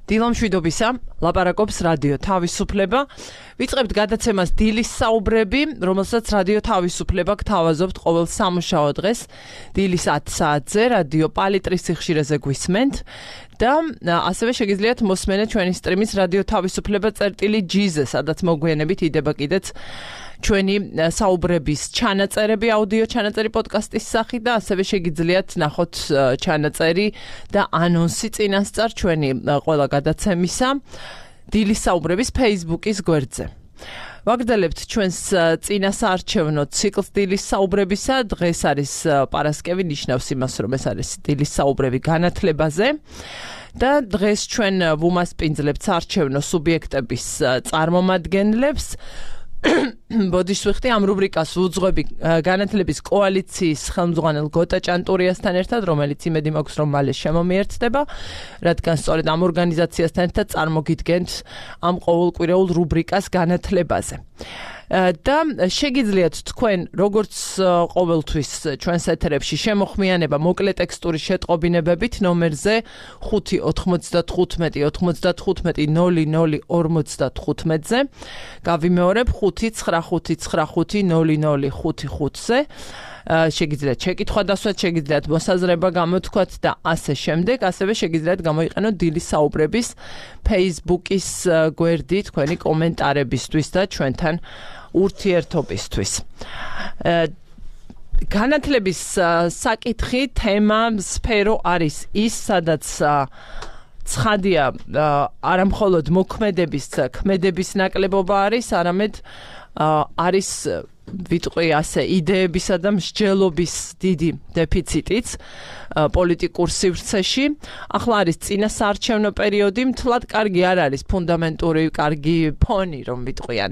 დილამშვიდობისა, ლაპარაკობს რადიო თავისუფლება. ვიწყებთ გადაცემას დილის საუბრები, რომელსაც რადიო თავისუფლება გთავაზობთ ყოველ სამუშაო დღეს, დილის 10 საათზე, რადიო პალიტრის სიხშირეზე გვისმენთ და ასევე შეგიძლიათ მოსმენეთ ჩვენი სტრიმის რადიო თავისუფლება წერტილი.gz-ზე, სადაც მოგვიანებით იდება კიდეც ჩვენი საუბრების ჩანაწერები, აუდიო ჩანაწერი პოდკასტის სახით და ასევე შეგიძლიათ ნახოთ ჩანაწერი და ანონსი წინასწარ ჩვენი ყველა გადაცემისა დილის საუბრების Facebook-ის გვერდზე. ვაგრძელებთ ჩვენს წინასაარჩევნო ციკლს დილის საუბრებისა. დღეს არის პარასკევი, ნიშნავს იმას, რომ ეს არის დილის საუბრები განათლებაზე. და დღეს ჩვენ ვუმასპინძლებთ საარჩევნო სუბიექტების წარმომადგენლებს. ბოდიშ ვიხდი ამ რუბრიკას ვუძღვები განათლების კოალიციის ხელმძღვანელ გოტა ჭანტურიასთან ერთად, რომელიც იმედი მაქვს, რომ მალე შემომიერთდება, რადგან სწორედ ამ ორგანიზაციასთან ერთად წარმოგიდგენთ ამ ყოველკვირეულ რუბრიკას განათლებაზე. და შეგიძლიათ თქვენ, როგორც ყოველთვის ჩვენს ეთერებში შემოხმიანება მოკლე ტექსტური შეტყობინებებით ნომერზე 595-95-00-55-ზე. გავიმეორებ 595-95-00-55-ზე. შეგიძლიათ შეკითხვა დასვათ, შეგიძლიათ მოსაზრება გამოთქვათ და ასე შემდეგ. ასევე შეგიძლიათ გამოიყენოთ დილის საუბრების Facebook-ის გვერდი თქვენი კომენტარებისთვის და ჩვენთან ურთიერთობისთვის. განათლების საკითხი, თემა, სფერო არის ის, სადაც ცხადია არა მხოლოდ მოქმედების, ქმედების ნაკლებობა არის, არამედ არის ვიტყვი ასე იდეებისა და მსჯელობის დიდი დეფიციტიც პოლიტიკურ სივრცეში. ახლა არის წინასაარჩევნო პერიოდი, მთლად კარგი არ არის ფუნდამენტური, კარგი ფონი, რომ ვიტყვიან,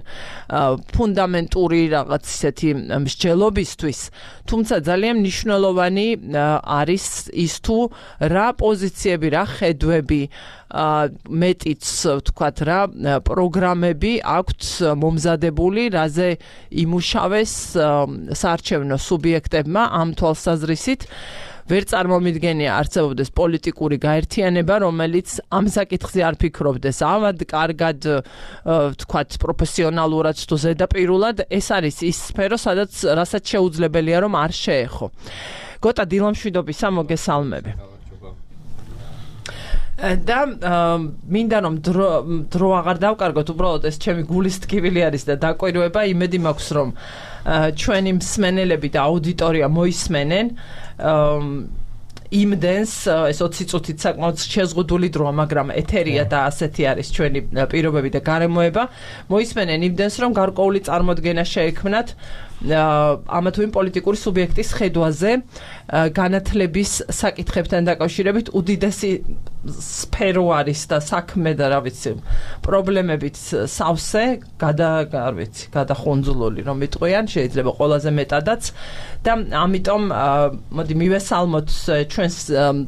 ფუნდამენტური რაღაც ისეთი მსჯელობისთვის, თუმცა ძალიან მნიშვნელოვანი არის ის თუ რა პოზიციები, რა ხედვები, მეტიც ვთქვათ რა პროგრამები აქვთ მომზადებული, რაზე იმუშავეს საარჩევნო სუბიექტებმა ამ თვალსაზრისით. ვერ წარმომიდგენია არსებობდეს პოლიტიკური გაერთიანება, რომელიც ამ საკითხზე არ ფიქრობდეს ავად, კარგად, ვთქვათ, პროფესიონალურად თუ ზედაპირულად. ეს არის ის სფერო, რასაც შეუძლებელია რომ არ შეეხო. გოტა, დილამშვიდობისა, მოგესალმები. და მინდა რომ დრო აღარ დავკარგოთ, უბრალოდ ეს ჩემი გულის ტკივილი არის და დაკვირვება, იმედი მაქვს რომ ჩვენი მსმენელები და აუდიტორია მოისმენენ იმდენს, ეს 20 წუთით საკმაოდ შეზღუდული დროა, მაგრამ ეთერია და ასეთი არის ჩვენი პირობები და გარემოება. მოისმენენ იმდენს, რომ გარკვეული წარმოდგენა შეექმნათ ამა თუ იმ პოლიტიკური სუბიექტის ხედვაზე განათლების საკითხებთან დაკავშირებით. უდიდესი სფერო არის და საქმე და რა ვიცი, პრობლემებით სავსე, გადახუნძლული, რომ ვიტყვიან, შეიძლება ყველაზე მეტადაც. და ამიტომ მოდი მივესალმოთ ჩვენს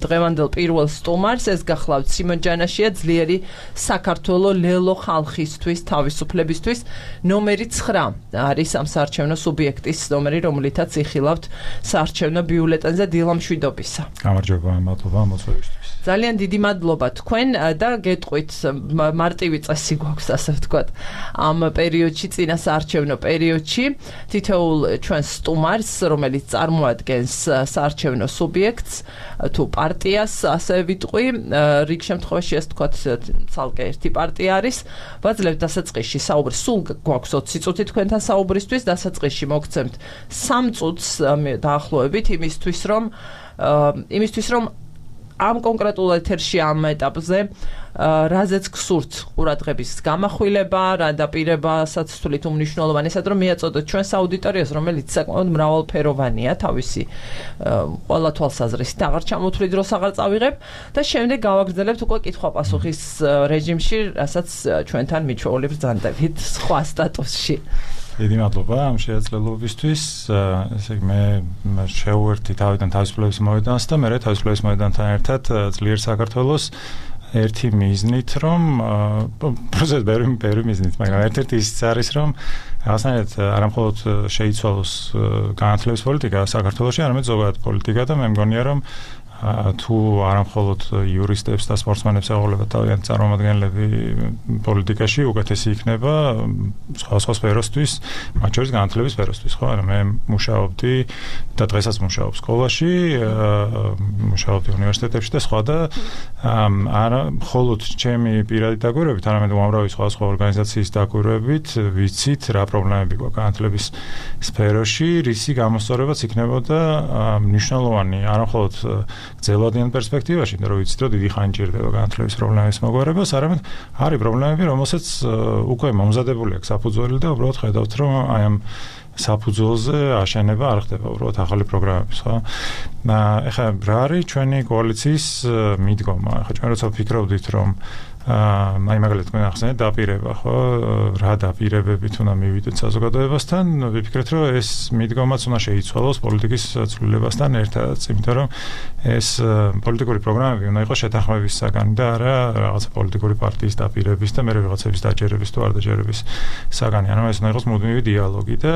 დღევანდელ პირველ სტუმარს, ეს გახლავთ სიმონ ჯანაშია, ძლიერი საქართველო ლელო ხალხისთვის, თავისუფლებისთვის, ნომერი 9 არის ამ საარჩევნო სუბიექტის ნომერი, რომლითაც იხილავთ საარჩევნო ბიულეტენზე. დილამშვიდობისა. გამარჯობა, მადლობა მოწვევისთვის. ძალიან დიდი მადლობა თქვენ და გეტყვით, მარტივი წესი გვაქვს, ასე ვთქვათ, ამ პერიოდში, წინასაარჩევნო პერიოდში, თითოეულ ჩვენს სტუმარს, რომელიც წარმოადგენს საარჩევნო სუბიექტს თუ პარტიას, ასე ვიტყვი, რიგ შემთხვევაში ეს ვთქვათ, ცალკე ერთი პარტია არის, ვაძლევთ დასაწყისში საუბრის, სულ გვაქვს 20 წუთი თქვენთან საუბრისთვის, დასაწყისში მოგცემთ 3 წუთს დაახლოებით იმისთვის, რომ ამ კონკრეტულ ეთერში ამ ეტაპზე რაზეც გსურთ ყურადღების გამახვილება, რა დაპირებასაც თვლით უმნიშვნელოვანესად, რომ მიაწოდოთ ჩვენს აუდიტორიას, რომელიც საკმაოდ მრავალფეროვანია თავისი ყველა თვალსაზრისით. აღარ ჩამოთვლი დროს აღარ წავიღებ და შემდეგ გავაგრძელებთ უკვე კითხვა-პასუხის რეჟიმში, რასაც ჩვენთან მიჩვეული ბრძანდებით სხვა სტატუსში. დიდი მადლობა ამ შეაძლებლობისთვის. ესე იგი მე შევუერთდი თავიდან თავისუფლების მოედანს და მე თავისუფლების მოედანთან ერთად ძლიერ საქართველოს ერთი მიზნით, რომ პროცესს ბევრი მიზნით, მაგრამ ერთ-ერთი ისიც არის, რომ რაღაცნაირად არა მხოლოდ შეიცვალოს განათლების პოლიტიკა საქართველოში, არამედ ზოგადად პოლიტიკა და მე მგონია, რომ თუ არა მხოლოდ იურისტებს და სპორტსმენებს ეღოლებათ თავიანთი წარმომადგენლები პოლიტიკაში, უკეთესი იქნება სხვა სფეროსთვის, მათ შორის განათლების სფეროსთვის, ხო? ანუ მე მუშაობდი და დღესაც მუშაობ სკოლაში, მუშაობდი უნივერსიტეტებში და სხვა და არა მხოლოდ ჩემი პირადი დაკვირვებით, არამედ უამრავი სხვა ორგანიზაციის დაკვირვებით ვიცით რა პრობლემები გვაქვს განათლების სფეროში, რისი გამოსწორებაც იქნებოდა მნიშვნელოვანი, არა მხოლოდ გრძელვადიან პერსპექტივაში, რომ ვიცით, რომ დიდი ხანი ჭირდება განათლების პრობლემების მოგვარებას, არამედ არის პრობლემები, რომელსაც უკვე მომზადებული აქვს საფუძველი და უბრალოდ ხედავთ, რომ აი ამ საფუძველზე აშენება არ ხდება, უბრალოდ ახალი პროგრამების, ხო? ეხლა რა არის ჩვენი კოალიციის მიდგომა? ეხლა ჩვენ როცა ვფიქრობდით, რომ აი მაგალითად თქვენ ახსენეთ დაპირება, ხო? რა დაპირებებით უნდა მივიდეთ საზოგადოებასთან? ვიფიქრეთ, რომ ეს მიდგომაც უნდა შეიცვალოს პოლიტიკის ცვლილებასთან ერთად, იმიტომ რომ ეს პოლიტიკური პროგრამები უნდა იყოს შეთანხმების საგანი და არა რაღაცა პოლიტიკური პარტიის დაპირების და მერე ვიღაცების დაჯერების თუ არ დაჯერების საგანი. ანუ ეს უნდა იყოს მუდმივი დიალოგი და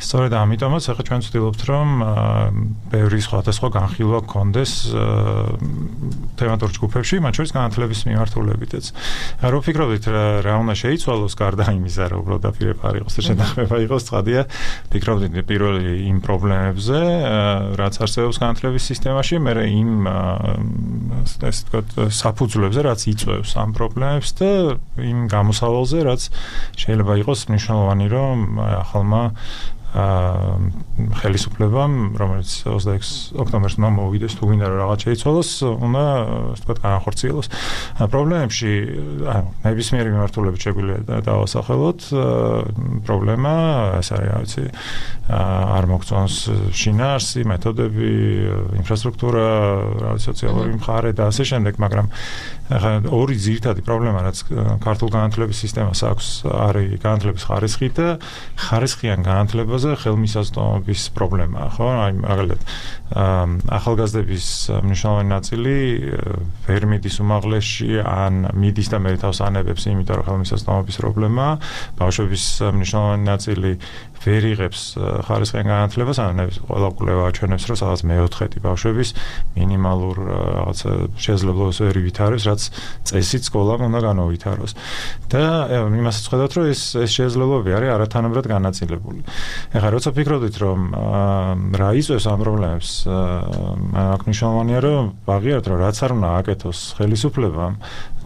სწორედ ამიტომაც ახლა ჩვენ ვცდილობთ, რომ ბევრი სხვადასხვა განხილვა გქონდეს თემატურ ჯგუფებში, მათ შორის განათლების მიმართულებით. რო ფიქრობთ რა უნდა შეიცვალოს გარდა იმისა, რომ უბრალოდ დაპირება არ იყოს და შეთანხმება იყოს, ცხადია, ფიქრობთ პირველი იმ პრობლემებზე, რაც არსებობს განათლების სისტემაში, მერე იმ ესე ვთქვათ საფუძვლებზე, რაც იწვევს ამ პრობლემებს და იმ გამოსავალზე, რაც შეიძლება იყოს მნიშვნელოვანი, რომ ახალმა ხელისუფლებამ, რომელიც 26 ოქტომბერს უნდა მოვიდეს, თუ გინდა რომ რაღაც შეიცვალოს, უნდა ასე ვთქვათ განახორციელოს. პრობლემებში, ანუ ნებისმიერი მიმართულებით შეგვიძლია დავასახელოთ, პრობლემა ეს არის, რა ვიცი, არ მოგწონს შინაარსი, მეთოდები, ინფრასტრუქტურა, რა ვიცი, სოციალური მხარე და ასე შემდეგ, მაგრამ ახლა ორი ძირითადი პრობლემა, რაც ქართულ განათლების სისტემას აქვს, არის განათლების ხარისხი და ხარისხიან განათლებას ხელმისაწვდომობის პრობლემაა, ხო? აი მაგალითად ახალგაზრდების მნიშვნელოვანი ნაწილი ვერ მიდის უმაღლესში ან მიდის და მე თავს ანებებს, იმიტომ რომ ხელმისაწვდომობის პრობლემაა. ბავშვების მნიშვნელოვანი ნაწილი ვერ იღებს ხარისხიან განათლებას, ანუ ყველა კვლევა აჩვენებს, რომ სადღაც მეოთხედი ბავშვების მინიმალურ რაღაცა შესაძლებლობას ვერ ივითარებს, რაც წესით სკოლამ უნდა განავითაროს. და იმასაც ხედავთ, რომ ეს შესაძლებლობები არის არათანაბრად განაწილებული. ეხლა როცა ფიქრობთ, რომ რა იწვევს ამ პრობლემებს, აქ მნიშვნელოვანია, რომ ვაღიაროთ, რომ რაც არ უნდა აკეთოს ხელისუფლებამ,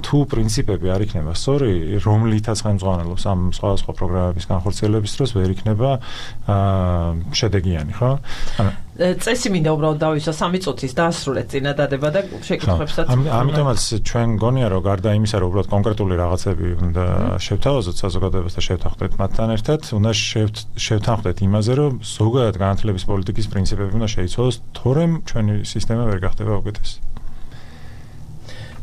თუ პრინციპები არ იქნება სწორი, რომლითაც ხელმძღვანელობს ამ სხვადასხვა პროგრამების განხორციელების დროს ვერ იქნება შედეგიანი, ხო? წესი მინდა უბრალოდ დავისვა 3 წუთის დაასრულეთ წინადადება და შეკითხვებსაც. ამიტომაც ჩვენ გონია, რომ გარდა იმისა, რომ უბრალოდ კონკრეტული რაღაცები უნდა შევთავაზოთ საზოგადოებას და შევთანხმდეთ მათთან ერთად, უნდა შევთანხმდეთ იმაზე, რომ ზოგადად განათლების პოლიტიკის პრინციპები უნდა შეიცვალოს, თორემ ჩვენი სისტემა ვერ გახდება უკეთესი.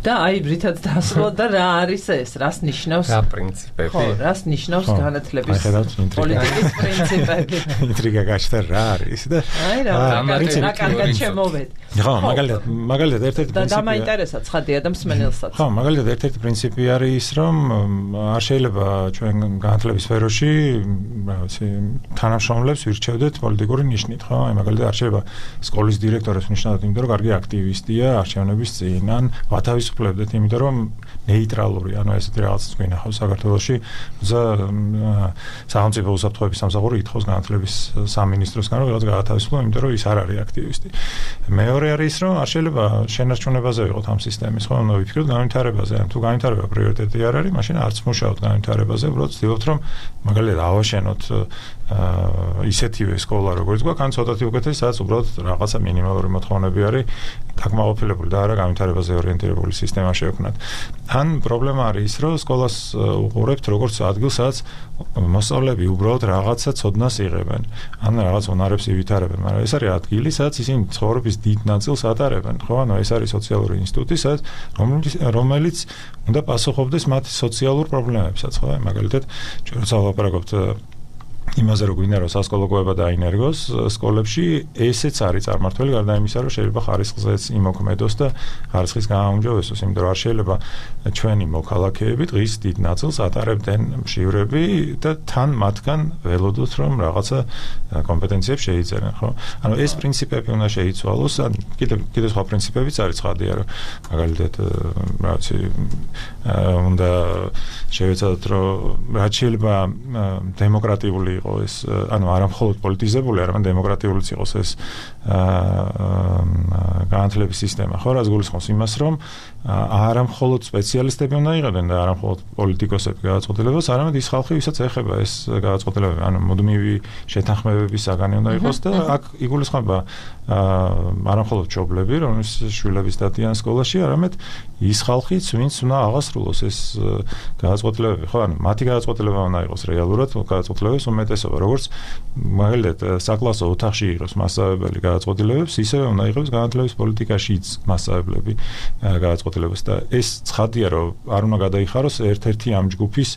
და აი ბრითად დაასრულოთ და რა არის ეს, რას ნიშნავს? რა პრინციპები? ხო, რას ნიშნავს განათლების პოლიტიკის პრინციპები? ინტრიგა გაჩნდა რა არის და აი რა კარგად შემოვედ. ხო, მაგალითად ერთ-ერთი პრინციპი და მაინტერესა ცხადია და მსმენელსაც. ხო, მაგალითად ერთ-ერთი პრინციპი არის ის, რომ არ შეიძლება ჩვენ განათლების სფეროში, რა ვიცი, თანამშრომლებს ვირჩევდეთ პოლიტიკური ნიშნით, ხო? აი მაგალითად არ შეიძლება სკოლის დირექტორებს ნიშნავდეთ, იმიტომ რომ კარგი აქტივისტია არჩევნების წინ, ან ვათავის ვფლებდეთ, იმიტომ რომ ნეიტრალური, ანუ ესეთი რაღაცას გვინახავს საქართველოში, როცა სახელმწიფო უსაფრთხოების სამსახური ითხოვს განათლების სამინისტროსგან, რომ რაღაც გაათავისუფლო, იმიტომ რომ ის არ არის აქტივისტი. მეორე არის ის, რომ არ შეიძლება შენარჩუნებაზე ვიყოთ ამ სისტემის, ხო? ანუ ვიფიქროთ განვითარებაზე, თუ განვითარება პრიორიტეტი არ არის, მაშინ არც მუშაობთ განვითარებაზე, უბრალოდ ვცდილობთ, რომ მაგალითად ავაშენოთ ისეთივე სკოლა, როგორც გვაქვს, ან ცოტათი უკეთესი, სადაც უბრალოდ რაღაცა მინიმალური მოთხოვნები არის დაკმაყოფილებული და არა განვითარებაზე ორიენტირებული სისტემა შევქმნათ. ან პრობლემა არის ის, რომ სკოლას უყურებთ როგორც ადგილს, სადაც მოსწავლეები უბრალოდ რაღაცა ცოდნას იღებენ, ან რაღაც უნარებს ივითარებენ, მაგრამ ეს არის ადგილი, სადაც ისინი ცხოვრების დიდ ნაწილს ატარებენ, ხო? ანუ ეს არის სოციალური ინსტიტუტი, სადაც რომელიც უნდა პასუხობდეს მათ სოციალურ პრობლემებსაც, ხო? მაგალითად, ჩვენ როცა ვლაპარაკობთ იმაზე რომ გვინდა რომ სასკოლო კვება დაინერგოს სკოლებში, ესეც არის წარმართველი გარდა იმისა, რომ შეიძლება ხარისხზეც იმოქმედოს და ხარისხის გააუმჯობესოს, იმიტომ რომ არ შეიძლება ჩვენი მოქალაქეები დღის დიდ ნაწილს ატარებდნენ მშივრები და თან მათგან ველოდოთ რომ რაღაცა კომპეტენციებს შეიძენენ, ხო? ანუ ეს პრინციპები უნდა შეიცვალოს, ან კიდევ სხვა პრინციპებიც არის ცხადია, რომ მაგალითად რაღაცი უნდა შევეცადოთ, რომ რაც შეიძლება დემოკრატიული ეს ანუ არა მხოლოდ პოლიტიზებული, არამედ დემოკრატიულიც იყოს ეს განათლების სისტემა, ხო, რაც გულისხმობს იმას, რომ არა მხოლოდ სპეციალისტები უნდა იყავდნენ და არა მხოლოდ პოლიტიკოსები გადაწყვეტილებას, არამედ ის ხალხი, ვისაც ეხება ეს გადაწყვეტილებები, ანუ მუდმივი შეთანხმებების საგანი უნდა იყოს და აქ იგულისხმება არა მხოლოდ მშობლები, რომლის შვილების დადიან სკოლაში, არამედ ის ხალხიც, ვინც უნდა აღასრულოს ეს გადაწყვეტილებები, ხო, ანუ მათი გადაწყვეტილება უნდა იყოს რეალურად გადაწყვეტილებების უმეტესობა, როგორც მაგალითად საკლასო ოთახში იყოს მასწავლებელი გადაწყვეტილებებს, ისევე უნდა იყოს განათლების პოლიტიკაშიც მასწავლებლები გადაწყვეტილებას და ეს ცხადია, რომ არ უნდა გადაიხაროს ერთ-ერთი ამ ჯგუფის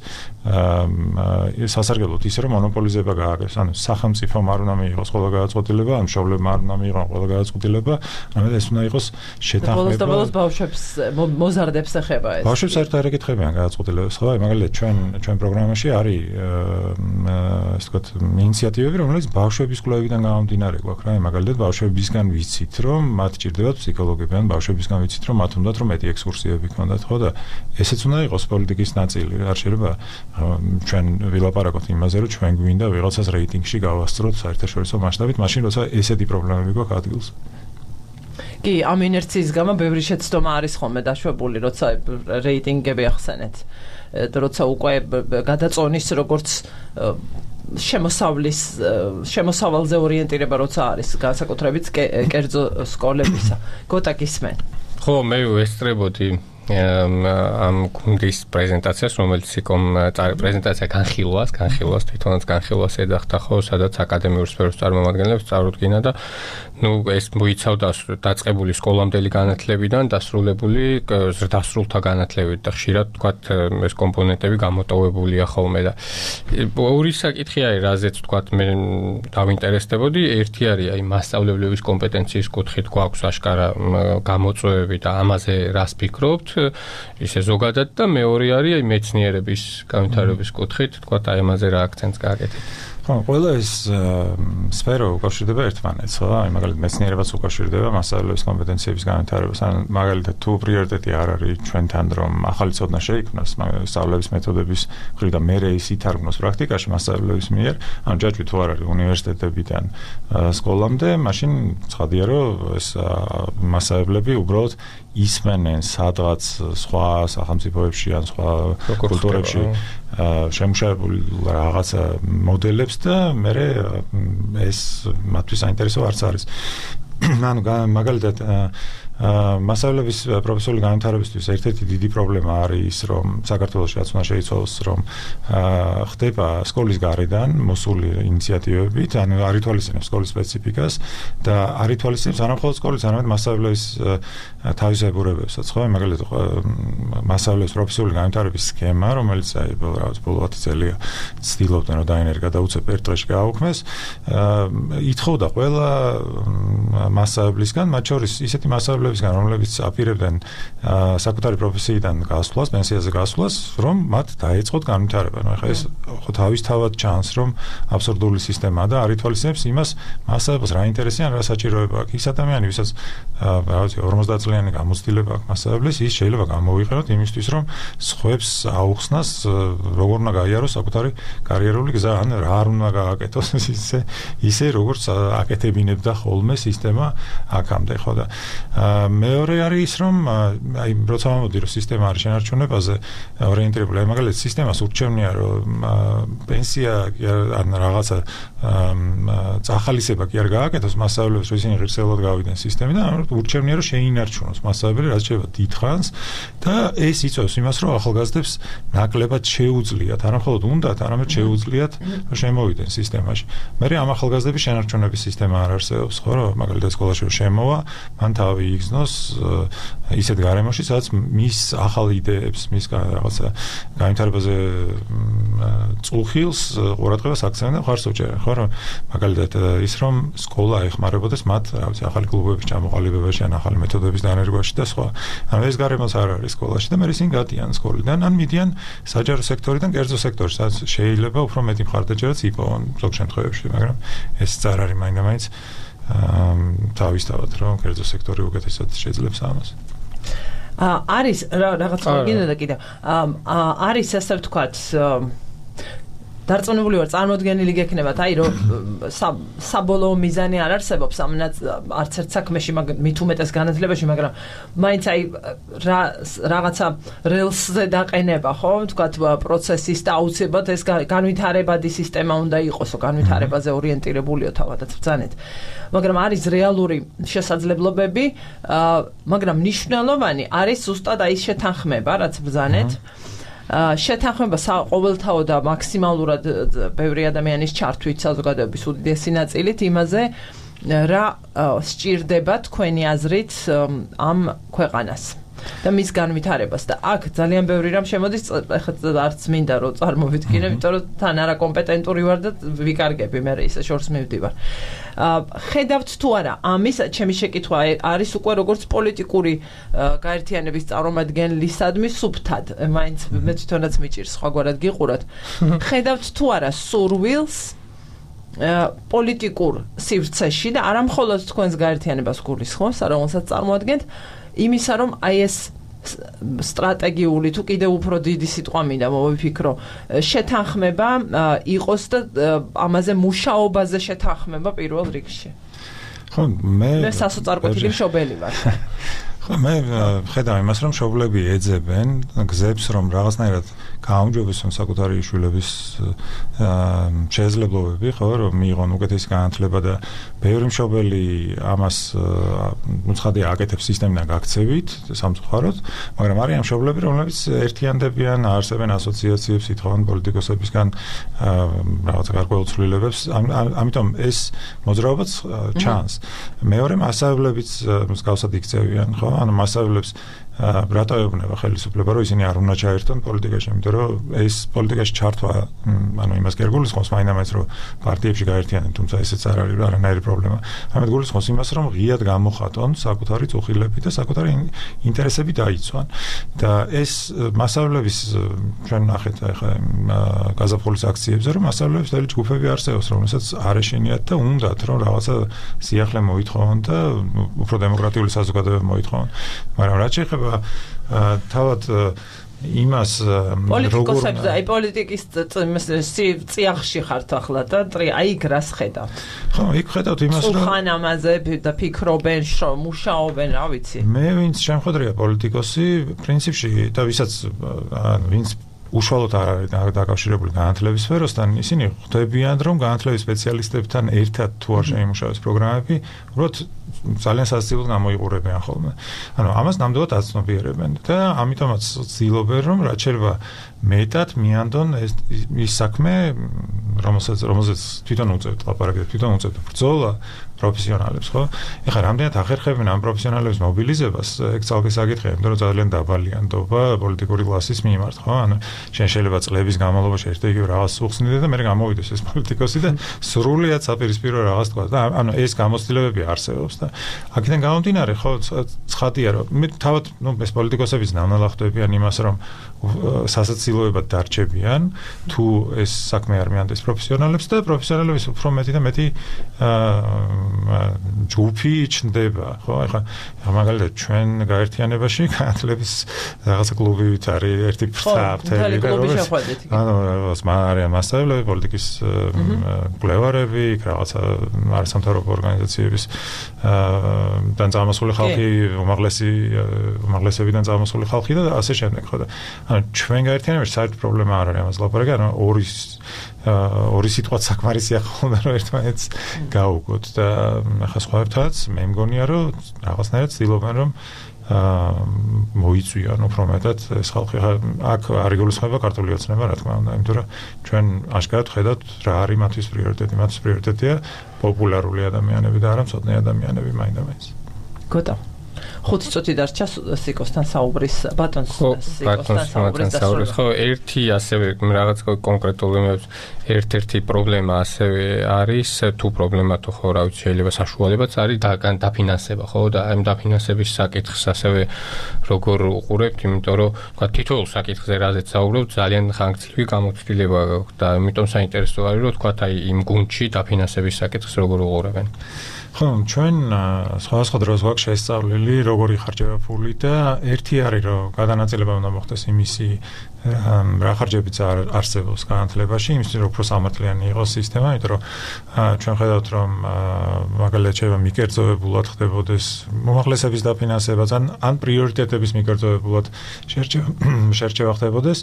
სასარგებლოდ ისე რომ მონოპოლიზება გააკეთოს, ანუ სახელმწიფომ არ უნდა მიიღოს ყველა გადაწყვეტილება, ან მშობლებმა არ უნდა მიიღოს ყველა გადაწყვეტილება, არამედ ეს უნდა იყოს შეთანხმება. და ბოლოს ბავშვებს მოზარდებს ეხება ეს. ბავშვებს საერთოდ არ ეკითხებიან გადაწყვეტილებას, ხო? მაგალითად ჩვენ პროგრამაში არის ასე ვთქვათ ინიციატივები, რომელიც ბავშვების კვლევიდან გამომდინარე გვაქვს რა, მაგალითად ბავშვებისგან ვიცით, რომ მათ ჭირდებათ ფსიქოლოგები, ან ბავშვებისგან ვიცით, რომ მათ უნდათ რომ მეტი ექსკურსიები ქონდათ, ხო და ესეც უნდა იყოს პოლიტიკის ნაწილი, არ შეიძლება ჩვენ ვილაპარაკოთ იმაზე, რომ ჩვენ გვინდა ვიღაცას რეიტინგში გავასწროთ საერთაშორისო მასშტაბით, მაშინ როცა ესეთი პრობლემები გვაქვს ადგილს. კი, ამ ინერციის გამო ბევრი შეცდომა არის ხოლმე დაშვებული, როცა რეიტინგები ახსენეთ. როცა უკვე გადაწონის როგორც შემოსავალზე ორიენტირება როცა არის განსაკუთრებით კერძო სკოლებისა. გოტა გისმენ. ხო, მე ვესწრებოდი ამ გუნდის პრეზენტაციას, რომელიც პრეზენტაცია განხილვას თვითონაც განხილვას ეძახდა, ხო, სადაც აკადემიური სფეროს წარმომადგენლებს წარუდგინა და ეს მოიცავდა დაწყებული სკოლამდელი განათლებიდან დასრულებული დასრულთა განათლებით და ხშირად თქვათ ეს კომპონენტები გამოტოვებულია ხოლმე და ორი საკითხი არის, რაზეც თქვათ მე დავინტერესდებოდი, ერთი არის აი მასწავლებლების კომპეტენციის კუთხით გვაქვს აშკარა გამოწვევები და ამაზე რას ფიქრობთ ისე ზოგადად და მეორე არის აი მეცნიერების განვითარების კუთხით, თქვათ აი ამაზე რა აქცენტს გააკეთეთ. ხო, ყველა ეს სფერო უკავშირდება ერთმანეთს, ხო? აი მაგალითად მეცნიერებაც უკავშირდება მასწავლებლების კომპეტენციების განვითარებას. ან მაგალითად თუ პრიორიტეტი არ არის ჩვენთან რომ ახალი ცოდნა შეიქმნას სწავლების მეთოდების მხრიდან, მერე ის ითარგმნოს პრაქტიკაში მასწავლებლების მიერ, ან ჯაჭვი თუ არ არის უნივერსიტეტებიდან სკოლამდე, მაშინ ცხადია რომ ეს მასწავლებლები უბრალოდ ისმენენ სადღაც სხვა სახელმწიფოებში ან სხვა კულტურებში შემუშავებული რაღაცა მოდელებს და მე ეს მათთვის საინტერესო არც არის. ანუ მაგალითად მასწავლებლების პროფესიული განვითარებისთვის ერთ-ერთი დიდი პრობლემა არის ის, რომ საქართველოშიც უნდა შეიცვალოს, რომ ხდება სკოლის გარედან მოსული ინიციატივებით, ანუ არ ითვალისწინებს სკოლის სპეციფიკას და არ ითვალისწინებს არა მხოლოდ სკოლის, არამედ მასწავლებლების თავისებურებებსაც, ხო? მაგალითად მასწავლებლების პროფესიული განვითარების სქემა, რომელიც აი ბოლო 10 წელია ცდილობდნენ რომ დაინერგა და უცებ ერთ დღეში გააუქმეს, ითხოვდა ყველა მასწავლებლისგან, მათ შორის ისეთი მასწავლებლებისგან, რომლებიც აპირებდნენ საკუთარი პროფესიიდან გასვლას, პენსიაზე გასვლას, რომ მათ დაეწყოთ განვითარება. ანუ ეხლა ეს ხო თავისთავად ჩანს, რომ აბსურდული სისტემაა და არ ითვალისწინებს იმას, მასწავლებელს რა ინტერესი ან რა საჭიროება აქვს. ის ადამიანი, ვისაც რაღაცა 50 წლიანი გამოცდილება აქვს მასწავლებლის, ის შეიძლება გამოვიყენოთ იმისთვის, რომ სხვებს აუხსნას, როგორ უნდა გაიაროს საკუთარი კარიერული გზა, ან რა არ უნდა გააკეთოს ისე როგორც აკეთებინებდა ხოლმე სისტემა აქამდე, ხო და მეორე არის ის, რომ აი როცა მომდი რომ სისტემა არის შენარჩუნებაზე ორიენტირებული, აი მაგალითად სისტემას ურჩევნია რომ პენსია ან რაღაცა წახალისება კი არ გააკეთოს მასწავლებლებს, რომ ისინი ღირსეულად გავიდნენ სისტემიდან, ურჩევნია რომ შეინარჩუნოს მასწავლებელი, რაც შეიძლება დიდხანს და ეს იწვევს იმას, რომ ახალგაზრდებს ნაკლებად შეუძლიათ, არა მხოლოდ უნდათ, არამედ შეუძლიათ რომ შემოვიდნენ სისტემაში. მე ამ ახალგაზრდების შენარჩუნების სისტემა არ არსებობს, ხო, რომ მაგალითად სკოლაში შემოვა, მან თავი X მოიგზნოს ისეთ გარემოში, სადაც მის ახალ იდეებს, მის რაღაცა განვითარებაზე წულხილს ყურადღებას აქცევენ და ხარს უჭერენ, ხო, რომ მაგალითად ის რომ სკოლა ეხმარებოდეს მათ, რა ვიცი, ახალი კლუბების ჩამოყალიბებაში, ან ახალი მეთოდების დანერგვაში და სხვა. ანუ ეს გარემოც არ არის სკოლაში და მე ისინი გადიან სკოლიდან, ან მიდიან საჯარო სექტორიდან კერძო სექტორში, სადაც შეიძლება უფრო მეტი მხარდაჭერაც იპოვონ ზოგ შემთხვევებში, მაგრამ ეს არ არის მაინდა-მაინც თავისთავად, რომ კერძო სექტორი უკეთესად შეძლებს ამას. არის რაღაც მოგინდა და კიდევ არის ასე ვთქვათ დარწმუნებული ვარ წარმოდგენილი გექნებათ აი რომ საბოლოო მიზანი არ არსებობს ამ არც ერთ საქმეში მით უმეტეს განათლებაში მაგრამ მაინც აი რაღაცა რელსზე დაყენება ხო ვთქვათ პროცესის და აუცილებლად ეს განვითარებადი სისტემა უნდა იყოსო განვითარებაზე ორიენტირებულიო თავადაც ბრძანეთ მაგრამ არის რეალური შესაძლებლობები მაგრამ მნიშვნელოვანი არის ზუსტად აი შეთანხმება რაც ბრძანეთ შეთანხმება ყოველთაო და მაქსიმალურად ბევრი ადამიანის ჩართვით საზოგადოების უდიდესი ნაწილით იმაზე რა სჭირდება თქვენი აზრით ამ ქვეყანას და მის განვითარებას და აქ ძალიან ბევრი რამ შემოდის ახლა არც მინდა რომ წარმოვიდგინე იმიტომ რომ თან არა კომპეტენტური ვარ და ვიკარგები მე ისე შორს მივდივარ ხედავთ თუ არა ამის ჩემი შეკითხვა არის უკვე როგორც პოლიტიკური გაერთიანების წარმომადგენლისადმი სუფთად მაინც მე თვითონაც მიჭირს სხვაგვარად გიყუროთ ხედავთ თუ არა სურვილს პოლიტიკურ სივრცეში და არა მხოლოდ თქვენს გაერთიანებას გულისხმობს რომელსაც წარმოადგენთ იმისა რომ აი ეს სტრატეგიული თუ კიდევ უფრო დიდი სიტყვა მინდა მოვიფიქრო შეთანხმება იყოს და ამაზე მუშაობაზე შეთანხმება პირველ რიგში ხო მე სასოწარკვეთილი მშობელი ვარ ხო მე ხედავ იმას რომ მშობლები ეძებენ გზებს რომ რაღაცნაირად გააუმჯობესონ საკუთარი შვილების შესაძლებლობები ხო რომ მიიღონ უკეთესი განათლება და ბევრი მშობელი ამას უცხადი აკეთებს სისტემიდან გაქცევით სამწუხაროდ მაგრამ არიან მშობლები რომლებიც ერთიანდებიან არსებენ ასოციაციებს ითხოვენ პოლიტიკოსებისგან რაღაც გარკვეულ ცვლილებებს ამიტომ ეს მოძრაობაც ჩანს მეორე მასშტაბებიც მსგავსად იქცევიან ხო ანუ მასშტაბებს რატო ეუბნება ხელისუფლება რომ ისინი არ უნდა ჩაერთონ პოლიტიკაში იმიტომ რომ ეს პოლიტიკაში ჩართვა ანუ იმას კი არ გულისხმობს მაინდა-მაინც რომ პარტიებში გაერთიანენ თუმცა ესეც არ არის არანაირი პრობლემა ამით გულისხმობს იმას რომ ღიად გამოხატონ საკუთარი წუხილები და საკუთარი ინტერესები დაიცვან და ეს მასშტაბების ჩვენ ნახეთ ახლა გაზაფხულის აქციებზე რომ მასშტაბების დელი ჯგუფები არსებობს რომელსაც არ ეშინიათ და უნდათ რომ რაღაცა სიახლე მოითხოვონ და უფრო დემოკრატიული საზოგადოება მოითხოვონ მაგრამ რაც შეეხება თავად იმას პოლიტიკოსებზე აი პოლიტიკის წიაღში ხართ ახლა და აი იქ რას ხედავთ ხო იქ ხედავთ იმას რომ ხან ამაზე და ფიქრობენ მუშაობენ რა ვიცი მე ვინც შემხედრია პოლიტიკოსი პრინციპში და ვისაც ვინც უშუალოდ არ არის დაკავშირებული განათლების სფეროსთან ისინი ხვდებიან რომ განათლების სპეციალისტებთან ერთად თუ არ შეიმუშავეს პროგრამები უბრალოდ ძალიან სასწრაფოდ გამოიყურებიან ხოლმე. ანუ ამას ნამდვილად აცნობიერებენ და ამიტომაც ცდილობენ რომ რაც შეიძლება მეტად მიანდონ ის საქმე რომელსაც თვითონ უწევთ ლაპარაკი თვითონ უწევთ ბრძოლა პროფესიონალებს ხო? ეხლა რამდენად ახერხებენ ამ პროფესიონალების მობილიზებას ეგ ძალკე საკითხია იმიტომ რომ ძალიან დაბალია ნდობა პოლიტიკური კლასის მიმართ ხო? ანუ შეიძლება წლების განმავლობაში ერთ-ერთი რაღაც უხსნიდე და მე გამოვიდეს ეს პოლიტიკოსი და სრულიად საპირისპირო რაღაც თქვა და ანუ ეს გამოცდილებები არსებობს და აქედან გამომდინარე ხო ცხადია რომ მე თავად ეს პოლიტიკოსების ნანალახტებიან იმას რომ სასაცილოებად დარჩებიან თუ ეს საქმე არ მიანდეს პროფესიონალებს და პროფესიონალების უფრო მეტი და მეტი ჯგუფი ჩნდება ხო ეხლა მაგალითად ჩვენ გაერთიანებაში განათლების რაღაცა კლუბივით არის ერთი ფრთაფთები ანუ არიან მასწავლებლები პოლიტიკის კვლევარები რაღაცა არასამთავრობო ორგანიზაციების დან წამოსული ხალხი უმაღლესებიდან წამოსული ხალხი და ასე შემდეგ ხო და ანუ ჩვენ გაერთიანებაში საერთოდ პრობლემა არ არის ამას ლაპარაკი ანუ ორი სიტყვა საკმარისია ხოლმე რომ ერთმანეთს გაუგოთ და ახლა სხვაებთანაც მე მგონია რომ რაღაცნაირად ცდილობენ რომ მოიწვიან უფრო მეტად ეს ხალხი აქ არ იგულისხმება ქართული ოცნება რა თქმა უნდა იმიტომ რომ ჩვენ აშკარად ხედავთ რა არის მათთვის პრიორიტეტი მათთვის პრიორიტეტია პოპულარული ადამიანები და არა მცოდნე ადამიანები მაინდა-მაინც გოტო 5 წუთი დარჩა სიკოსთან საუბრის ბატონს სიკოსთან საუბრის ხო ერთი ასევე რაღაც კონკრეტული ერთ-ერთი პრობლემა ასევე არის თუ პრობლემა თუ ხო რა ვიცი შეიძლება საშუალებაც არის დაფინანსება ხო და ამ დაფინანსების საკითხს ასევე როგორ უყურებთ იმიტომ რომ თქვა თითოეულ საკითხზე რაზეც საუბრობთ ძალიან ხანგრძლივი გამოცდილება და იმიტომ საინტერესო არის რომ თქვა აი იმ გუნდში დაფინანსების საკითხს როგორ უყურებენ ხო, ჩვენ სხვადასხვა დროს გვაქვს შესწავლილი, როგორ იხარჯება ფული და ერთი არის, რომ გადანაწილება უნდა მოხდეს იმისი რა ხარჯებიც არსებობს განათლებაში, იმისთვის რომ უფრო სამართლიანი იყოს სისტემა, იმიტომ რომ ჩვენ ხედავთ, რომ მაგალითად შეიძლება მიკერძოებულად ხდებოდეს მომაღლესების დაფინანსებაც ან პრიორიტეტების მიკერძოებულად შერჩევა ხდებოდეს.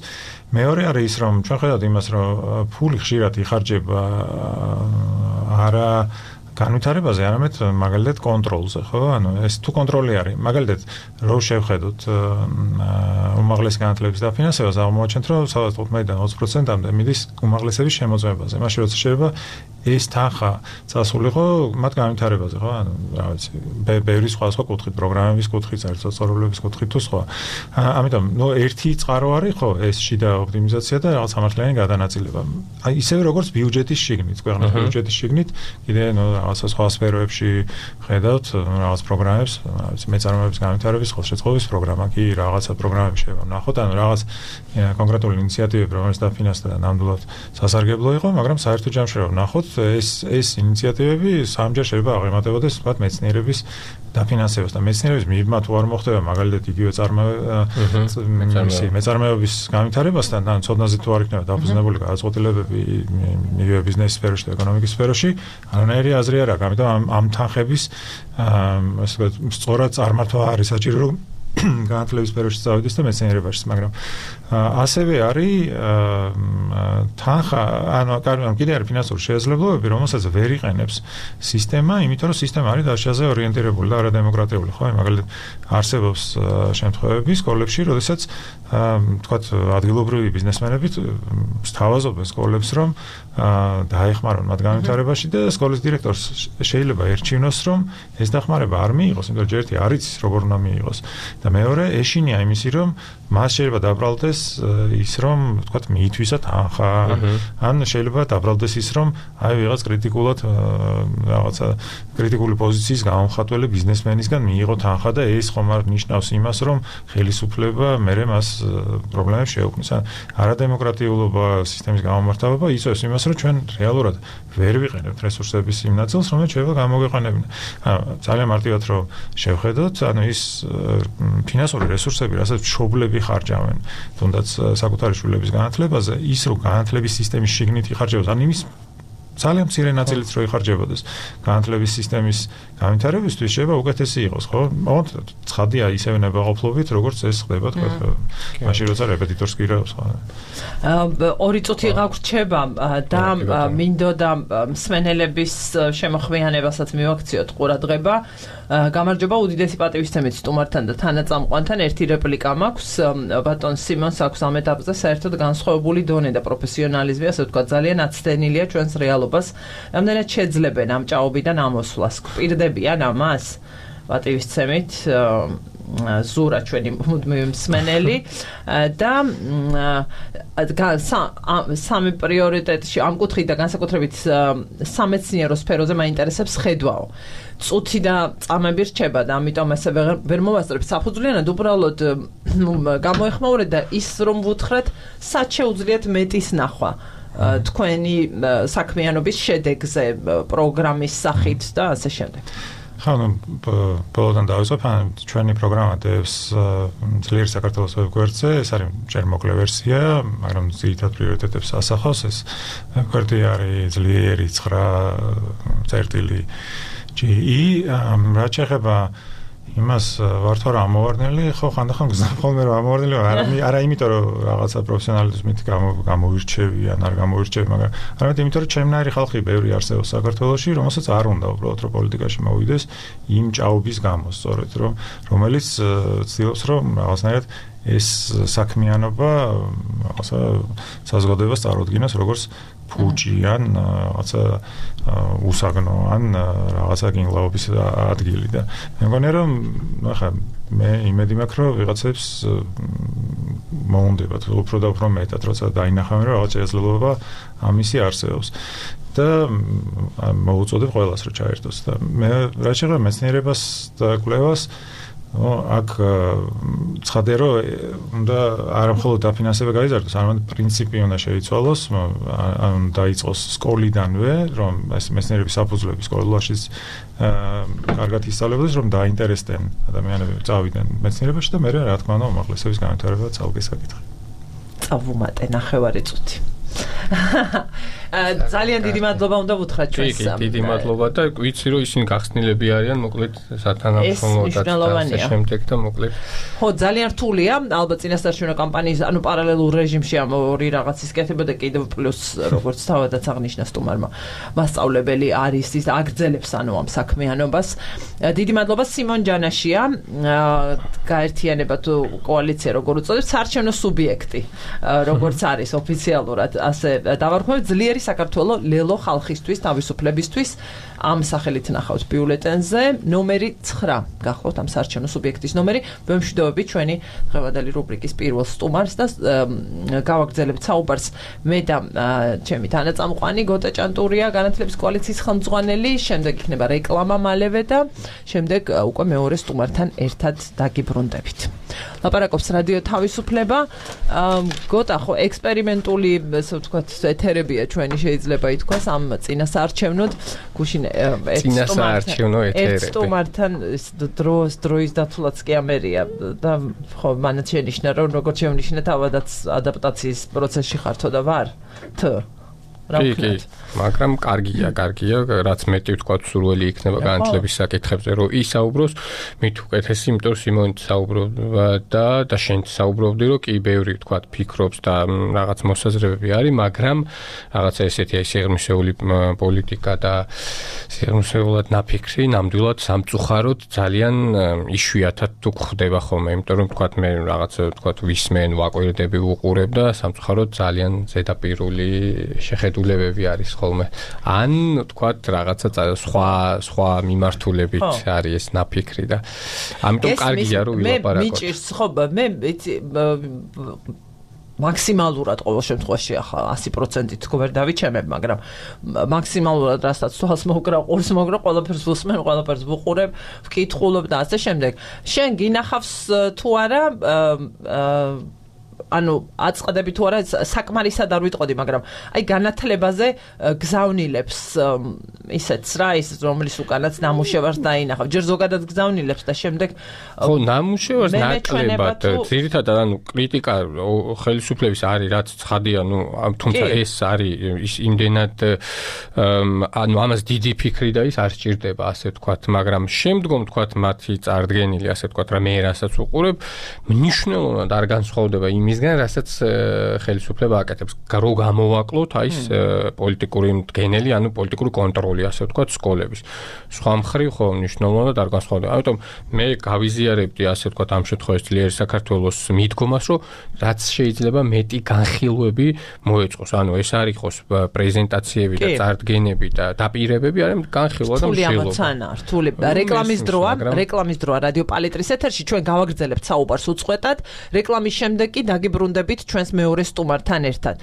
მეორე არის ის, რომ ჩვენ ხედავთ იმას, რომ ფული ხშირად იხარჯება არა განვითარებაზე, არამედ მაგალითად კონტროლზე, ხო? ანუ ეს თუ კონტროლი არის, მაგალითად რო შევხედოთ უმაღლესი განათლების დაფინანსებას, აღმოაჩენთ, რომ სადღაც 15-დან 20%-მდე მიდის უმაღლესების შემოწმებაზე. მაშინ როცა შეიძლება ეს თანხა წასულიყო მათ განვითარებაზე, ხო? ანუ რა ვიცი, ბევრი სხვა კუთხით, პროგრამების კუთხით, საერთაშორისო კუთხით თუ სხვა. ამიტომ, ერთი წყარო არის, ხო, ეს შიდა ოპტიმიზაცია და რაღაც სამართლიანი გადანაწილება. აი, ისევე როგორც ბიუჯეტის შიგნით, ქვეყნის ბიუჯეტის შიგნით, კიდე რაღაცა სხვა სფეროებში ხედავთ რაღაც პროგრამებს, რა ვიცი, მეწარმეების განვითარების ხელშეწყობის პროგრამა კი რაღაცა პროგრამები შეიძლება ვნახოთ, ანუ რაღაც კონკრეტული ინიციატივები, რომელიც დაფინანსდა და ნამდვილად სასარგებლო იყო, მაგრამ საერთო ჯამში რა ვნახოთ ეს ინიციატივები სამჯერ შეიძლება აღემატებოდეს თქვათ მეცნიერების დაფინანსებას და მეცნიერების მიღება თუ არ მოხდება მაგალითად იგივე მეწარმეობის განვითარებასთან ან ცოდნაზე თუ არ იქნება დაფუძნებული გადაწყვეტილებები იგივე ბიზნეს სფეროში და ეკონომიკის სფეროში არანაირი აზრი არ აქვს ამიტომ ამ თანხების ასე ვთქვათ სწორად წარმართვა არის საჭირო რომ განათლების სფეროში წავიდეს და მეცნიერებაში, მაგრამ ასევე არის თანხა, ანუ კიდე არის ფინანსური შესაძლებლობები, რომელსაც ვერ იყენებს სისტემა, იმიტომ რომ სისტემა არის დაშაზე ორიენტირებული და არადემოკრატიული, ხო? მაგალითად, არსებობს შემთხვევები სკოლებში, როდესაც თქვათ ადგილობრივი ბიზნესმენები სთავაზობენ სკოლებს, რომ დაეხმარონ მათ განვითარებაში და სკოლის დირექტორს შეიძლება ერჩივნოს, რომ ეს დახმარება არ მიიღოს, იმიტომ რომ ერთი არ იცის როგორ უნდა მიიღოს. და მეორე ეშინია იმისი რომ მას შეიძლება დაბრალდეს ის რომ თქვათ მიითვისა თანხა ან შეიძლება დაბრალდეს ის რომ აი ვიღაც კრიტიკულად რაღაცა კრიტიკული პოზიციის გამომხატველი ბიზნესმენისგან მიიღო თანხა და ეს ხომ არ ნიშნავს იმას რომ ხელისუფლება მერე მას პრობლემებს შეუქმნის. არადემოკრატიულობა სისტემის გამომართავება იწვევს იმას რომ ჩვენ რეალურად ვერ ვიყენებთ რესურსების იმ ნაწილს რომელიც შეიძლება გამოგვეყენებინა. ძალიან მარტივად რომ შევხედოთ, ანუ ის ფინანსური რესურსები, რასაც მშობლები ხარჯავენ, თუნდაც საკუთარი შვილების განათლებაზე, ის რომ განათლების სისტემის შიგნით იხარჯებოს, ან იმის ძალიან მცირე ნაწილიც რო იხარჯებოდეს განათლების სისტემის განვითარებისთვის შეიძლება უკეთესი იყოს, ხო? მოკლედ ცხადია ისევე ნებაყოფლობით, როგორც ეს ხდება, თქვა, მაშინ როცა რეპეტიტორს გირავს, ხო? 2 წუთი გაგვრჩება და მინდოდა მსმენელების შემოხვიანებასაც მივაქციოთ ყურადღება. გამარჯობა, უდიდესი პატივისცემით სტუმართან და თანაწამყვანთან ერთი რეპლიკა მაქვს. ბატონ სიმონს აქვს ამ ეტაპზე საერთოდ განსხვავებული დონე და პროფესიონალიზმი, ასე ვთქვათ, ძალიან აცდენილია ჩვენს რეალობას. რამდენად შეძლებენ ამ ჭაობიდან ამოსვლას? გვპირდებიან ამას? პატივისცემით ზურა ჩვენი მუდმივი მსმენელი და სამი პრიორიტეტში ამ კუთხით და განსაკუთრებით სამეცნიერო სფეროზე მაინტერესებს ხედვაო. წუთი და წამები რჩება და ამიტომ ესე ვერ მოვასწრებ საფუძვლიანად უბრალოდ გამოეხმაურეთ და ის რომ ვუთხრათ სად შეუძლიათ მეტის ნახვა თქვენი საქმიანობის შედეგზე პროგრამის სახით და ასე შემდეგ. ხო, ბოლოდან დავიწყებ, ჩვენი პროგრამა დევს ძლიერ საქართველოს ვებგვერდზე, ეს არის ჯერ მოკლე ვერსია, მაგრამ ძირითად პრიორიტეტებს ასახავს, ეს ვებგვერდი არის ძლიერი 9 GE, რაც შეეხება იმას ვარ თუ არა ამოვარდნილი, ხო ხანდახან გზნობ ხოლმე რომ ამოვარდნილი არა იმიტომ რომ რაღაცა პროფესიონალიზმით გამოვირჩევი ან არ გამოვირჩევი, მაგრამ არამედ იმიტომ რომ ჩემნაირი ხალხი ბევრი არსებობს საქართველოში, რომელსაც არ უნდა უბრალოდ რომ პოლიტიკაში მოვიდეს იმ ჭაობის გამო, სწორედ რომელიც ცდილობს რომ რაღაცნაირად ეს საქმიანობა რაღაცა საზოგადოებას წარუდგინოს როგორც ფუჭი ან რაღაცა უსაგნო ან რაღაცა გინგლაობის ადგილი და მე მგონია რომ ახლა მე იმედი მაქვს რომ ვიღაცებს მოუნდებათ უფრო და უფრო მეტად როცა დაინახავენ რომ რაღაც შესაძლებლობა ამისი არსებობს და მოუწოდებ ყველას რომ ჩაერთოს და მე რა შეეხება მეცნიერებას და კვლევას აქ ცხადია რომ უნდა არა მხოლოდ დაფინანსება გაიზარდოს, არამედ პრინციპი უნდა შეიცვალოს, ან დაიწყოს სკოლიდანვე, რომ ეს მეცნიერების საფუძვლები სკოლაშიც კარგად ისწავლებოდეს, რომ დაინტერესდნენ ადამიანები წავიდნენ მეცნიერებაში და მე რა თქმა უნდა უმაღლესობის განვითარება ცალკე საკითხი. წავუმატე ნახევარი წუთი. ძალიან დიდი მადლობა უნდა ვუთხრათ ჩვენს. დიდი მადლობა და ვიცი რომ ისინი გახსნილები არიან, მოკლედ სათანადო და შემდეგ და მოკლედ. ხო, ძალიან რთულია, ალბათ წინასწარშინო კამპანიის, ანუ პარალელურ რეჟიმში ამ ორი რაღაცის კეთება და კიდევ პლუს როგორც თავადაც აღნიშნა სტუმარმა, მასწავლებელი არის ის აგრძელებს ანუ ამ საქმიანობას. დიდი მადლობა სიმონ ჯანაშია, გაერთიანება თუ კოალიცია როგორ უწოდებს, საარჩევნო სუბიექტი, როგორც არის ოფიციალურად ასე დავარქვევთ ძლიერი საქართველო ლელო ხალხისთვის თავისუფლებისთვის ამ სახელით ნახავთ ბიულეტენზე ნომერი 9 გახლავთ ამ საარჩევნო სუბიექტის ნომერი ვემშვიდობებით ჩვენი დღევანდელი რუბრიკის პირველ სტუმარს და გავაგრძელებთ საუბარს მე და ჩემი თანაწამყვანი გოტა ჭანტურია განათლების კოალიციის ხელმძღვანელი შემდეგ იქნება რეკლამა მალევე და შემდეგ უკვე მეორე სტუმართან ერთად დაგიბრუნდებით ლაპარაკობს რადიო თავისუფლება გოტა ხო ექსპერიმენტული ასე ვთქვათ ეთერებია ჩვენი შეიძლება ითქვას ამ წინასაარჩევნოდ გუშინ ერთ სტუმართან დროის დათვლაც კი ამერია და ხო მანაც შენიშნა რომ როგორც შენიშნა თავადაც ადაპტაციის პროცესში ხართო და ვარ კი, მაგრამ კარგია, რაც მეტი ვთქვათ სურველი იქნება განათლების საკითხებზე, რომ ისაუბროს, მით უკეთესი, იმიტომ რომ სიმონით საუბრობდა და შენც საუბრობდი, რომ კი ბევრი ვთქვათ ფიქრობს და რაღაც მოსაზრებები არის, მაგრამ რაღაცა ესეთი აი სიღრმისეული პოლიტიკა და სიღრმისეულად ნაფიქრი, ნამდვილად სამწუხაროდ ძალიან იშვიათად თუ გვხდება ხოლმე, იმიტომ რომ ვთქვათ მე რაღაცა ვთქვათ ვისმენ, ვაკვირდები ვუყურებ და სამწუხაროდ ძალიან ზედაპირული შეხედულებები არის ხოლმე. ან ვთქვათ რაღაცა სხვა მიმართულებით არის ეს ნაფიქრი და ამიტომ კარგია რომ ვილაპარაკოთ. მე მიჭირს ხო მე მაქსიმალურად ყოველ შემთხვევაში ახლა 100%-ით თქო ვერ დავიჩემებ, მაგრამ მაქსიმალურად რასაც თვალს მოგრა, ყურს მოგრა, ყველაფერს ვუსმენ, ყველაფერს ვუყურებ, ვკითხულობ და ასე შემდეგ. შენ გინახავს თუ არა ანუ აწყდები თუ არა საკმარისად არ ვიტყოდი, მაგრამ აი განათლებაზე გზავნილებს ისეთს რა ის რომლის უკანაც ნამუშევარს დაინახავ. ჯერ ზოგადად გზავნილებს და შემდეგ ხო ნამუშევარს ნაკლებად ძირითადად ანუ კრიტიკა ხელისუფლების არის რაც ცხადია, ну თუმცა ეს არის იმდენად ანუ ამას დიდი ფიქრი და ის არ სჭირდება ასე ვთქვათ, მაგრამ შემდგომ ვთქვათ მათი წარდგენილი ასე ვთქვათ რა მე რასაც უყურებ მნიშვნელოვნად არ განსხვავდება იმისგან რასაც ხელისუფლება აკეთებს. რო გამოვაკლოთ აი ეს პოლიტიკური მდგენელი, ანუ პოლიტიკური კონტროლი ასე ვთქვათ სკოლების. სხვა მხრივ ხო მნიშვნელოვნად არ განსხვავდება. ამიტომ მე გავიზიარებდი ასე ვთქვათ ამ შემთხვევაში ძლიერი საქართველოს მიდგომას, რომ რაც შეიძლება მეტი განხილვები მოეწყოს. ანუ ეს არ იყოს პრეზენტაციები და წარდგენები და დაპირებები, არამედ განხილვა და მშილობა. რთული რეკლამის დროა რადიო პალიტრის ეთერში ჩვენ გავაგრძელებთ საუბარს უწყვეტად. რეკლამის შემდეგ კი დაგიბრუნდებით ჩვენს მეორე სტუმართან ერთად.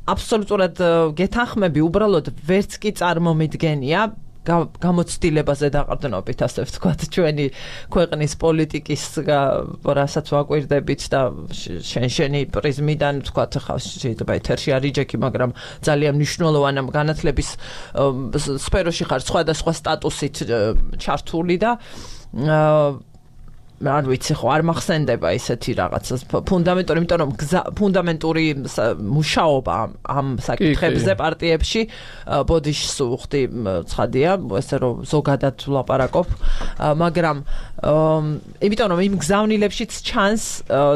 აბსოლუტურად გეთანხმები, უბრალოდ ვერც კი წარმომიდგენია გამოცდილებაზე დაყრდნობით, ასე ვთქვათ, ჩვენი ქვეყნის პოლიტიკის რასაც ვაკვირდებით და შენი პრიზმიდან ვთქვათ, ხა შეიძლება ეთერში არ იჯექი, მაგრამ ძალიან მნიშვნელოვანი განათლების სფეროში ხარ სხვადასხვა სტატუსით ჩართული და არ ვიცი ხო არ მახსენდება ისეთი რაღაცა ფუნდამენტური, იმიტომ რომ ფუნდამენტური მუშაობა ამ საკითხებზე პარტიებში ბოდიშს უხდი ცხადია, ესე რომ ზოგადად ვლაპარაკობ, მაგრამ იმიტომ რომ იმ გზავნილებშიც ჩანს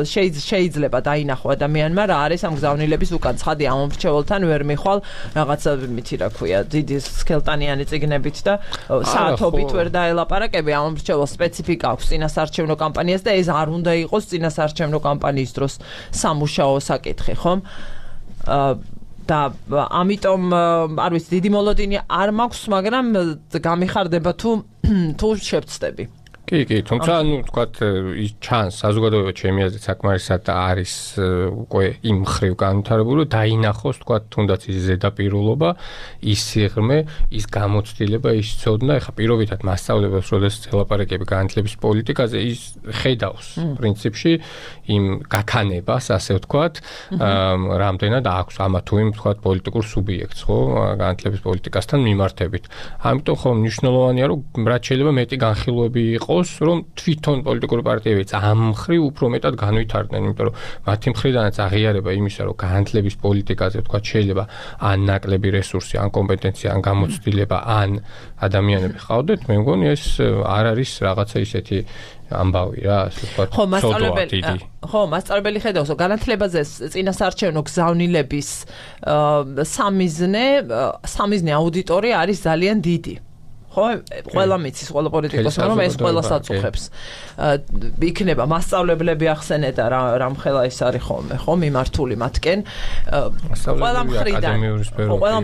შეიძლება დაინახო ადამიანმა რა არის ამ გზავნილების უკან. ცხადია ამ მრჩეველთან ვერ მიხვალ რაღაცა მითი რა ქვია დიდი სქელტანიანი წიგნებით და საათობით ვერ დაელაპარაკები ამ მრჩეველს სპეციფიკა აქვს წინასაარჩევნო კამპანიას და ეს არ უნდა იყოს წინასაარჩევნო კამპანიის დროს სამუშაო საკითხი, ხომ? და ამიტომ არ ვიცი დიდი მოლოდინი არ მაქვს, მაგრამ გამიხარდება თუ შევწდები. კი, თუმცა თქვათ ის ჩანს საზოგადოება ჩემი აზრით საკმარისად არის უკვე იმ ხრივ განვითარებული, დაინახოს თქვათ თუნდაც ის ზედაპირულობა, ის სიღრმე, ის გამოცდილება, ის ცოდნა, ეხა პირობითად მასწავლებლებს, როდესაც ელაპარაკები განათლების პოლიტიკაზე, ის ხედავს პრინციპში იმ გაქანებას, ასე ვთქვათ, რამდენად აქვს ამა თუ იმ თქვათ პოლიტიკურ სუბიექტს, ხო, განათლების პოლიტიკასთან მიმართებით. ამიტომ ხო მნიშვნელოვანია, რომ რაც შეიძლება მეტი განხილვები იყოს, რომ თვითონ პოლიტიკური პარტიებიც ამ მხრივ უფრო მეტად განვითარდნენ, იმიტომ რომ მათი მხრიდანაც აღიარება იმისა, რომ განათლების პოლიტიკაზე თქვა შეიძლება ან ნაკლები რესურსი, ან კომპეტენცია, ან გამოცდილება, ან ადამიანები ყავდეთ, მე მგონი ეს არ არის რაღაცა ისეთი ამბავი რა, ასე ვთქვათ, მასწავლებელი ხედავს, რომ განათლებაზე წინასაარჩევნო გზავნილების სამიზნე აუდიტორია არის ძალიან დიდი. ხო, ყველა მიცის, ყველა პოლიტიკოსი, რომ ეს ყველას აწუხებს. იქნება მასწავლებლები ახსენე და რამ ხელა ის არის ხოლმე, ხო, მიმართული მათკენ. ყველა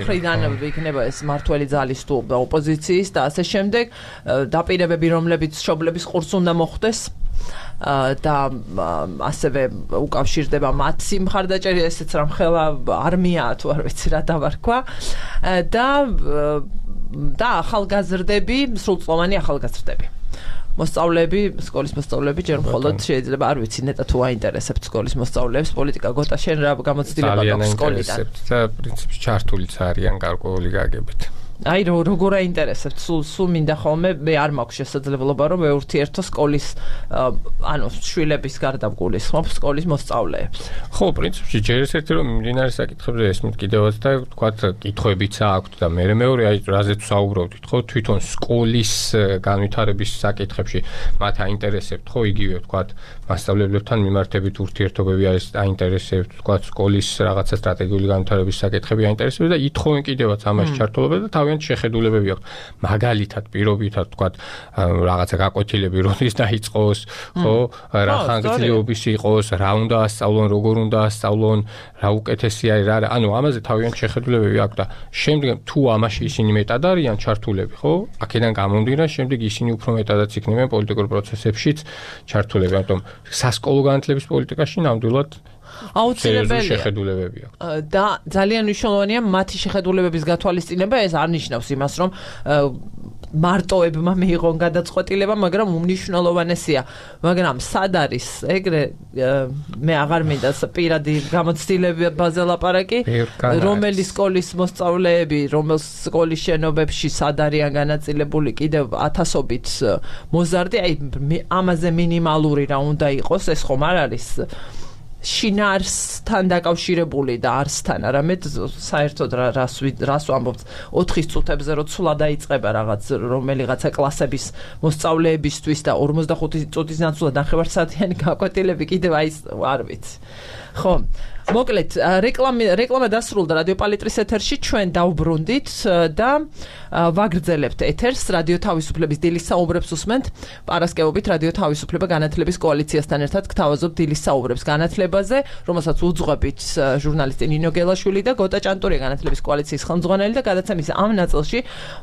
მხრიდან იქნება ეს მართველი ძალის თუ ოპოზიციის და ასე შემდეგ დაპირებები, რომლებიც მშობლების ყურს უნდა მოხვდეს. და ასევე უკავშირდება მათ სიმხარდაჭერი, ესეც რამ ხელა არმიაა თუ არ ვიცი რა დავარქვა და ახალგაზრდები, სრულწლოვანი ახალგაზრდები. მოსწავლეები, სკოლის მოსწავლეები ჯერ მხოლოდ შეიძლება არ ვიცი ნეტა თუ აინტერესებთ სკოლის მოსწავლეებს პოლიტიკა გოტა შენ რა გამოცდილება გაქვს სკოლიდან. და პრინციპში ჩართულიც არიან გარკვეული გაგებით. აი როგორ აინტერესებთ სულ მინდა ხოლმე მე არ მაქვს შესაძლებლობა რომ მეურთიერთო სკოლის შვილების გარდა გულისხმობ სკოლის მოსწავლეებს. ხო, პრინციპში ჯერ ერთ-ერთი რომ მიმდინარე საკითხებზე ესმით კიდევაც და თქვათ კითხვებიც აქვთ და მეორე აი რაზეც საუბრობთ, ხო, თვითონ სკოლის განვითარების საკითხებში მათ აინტერესებთ, ხო, იგივე თქვათ მასწავლებლებთან მიმართებით ურთიერთობები არის აინტერესებთ, თქვათ სკოლის რაღაცა სტრატეგიული განვითარების საკითხები აინტერესებთ და ითხოვენ კიდევაც ამაში ჩართულობა და თავიანთ შეხედულებები აქვს. მაგალითად, პირობითად თქვათ რაღაცა გაკვეთილები როდის დაიწყოს, ხო, რა ხანგრძლივობის იყოს, რა უნდა ასწავლონ, როგორ უნდა ასწავლონ, რა უკეთესი არის, რა, ანუ ამაზე თავიანთ შეხედულებები აქვს და შემდეგ თუ ამაში ისინი მეტად არიან ჩართულები, ხო? აქედან გამომდინარე, შემდეგ ისინი უფრო მეტადაც იქნებიან პოლიტიკურ პროცესებშიც ჩართულები, ამიტომ სასკოლო განათლების პოლიტიკაში ნამდვილად აუცილებელია შეხედულებები აქვს. და ძალიან მნიშვნელოვანია მათი შეხედულებების გათვალისწინება, ეს არ ნიშნავს იმას, რომ მარტოებმა მიიღონ გადაწყვეტილება, მაგრამ უმნიშვნელოვანესია. მაგრამ სად არის ეგრე მე აღარ მინდა პირადი გამოცდილებაზე ლაპარაკი, რომელი სკოლის მოსწავლეები, რომელ სკოლის შენობებში სად არიან განაწილებული კიდევ ათასობით მოზარდი, აი ამაზე მინიმალური რა უნდა იყოს, ეს ხომ არ არის შინაარსთან დაკავშირებული და არსთან, არამედ საერთოდ რას ვამბობთ 4 წუთებზე რო ცულა დაიწყება რაღაც რომელიღაცა კლასების მოსწავლეებისთვის და 45 წუთის ნაცვლად ნახევარსაათიანი გაკვეთილები კიდევ აი არ ვიცი. ხო, მოკლედ რეკლამა დასრულდა რადიო პალიტრის ეთერში, ჩვენ დავბრუნდით და ვაგრძელებთ ეთერს. რადიო თავისუფლების დილის საუბრებს უსმენთ. პარასკევობით რადიო თავისუფლება განათლების კოალიციასთან ერთად გთავაზობთ დილის საუბრებს განათლებაზე, რომელსაც უძღვებით ჟურნალისტი ნინო გელაშვილი და გოტა ჭანტურია განათლების კოალიციის ხელმძღვანელი და გადაცემის ამ ნაწილში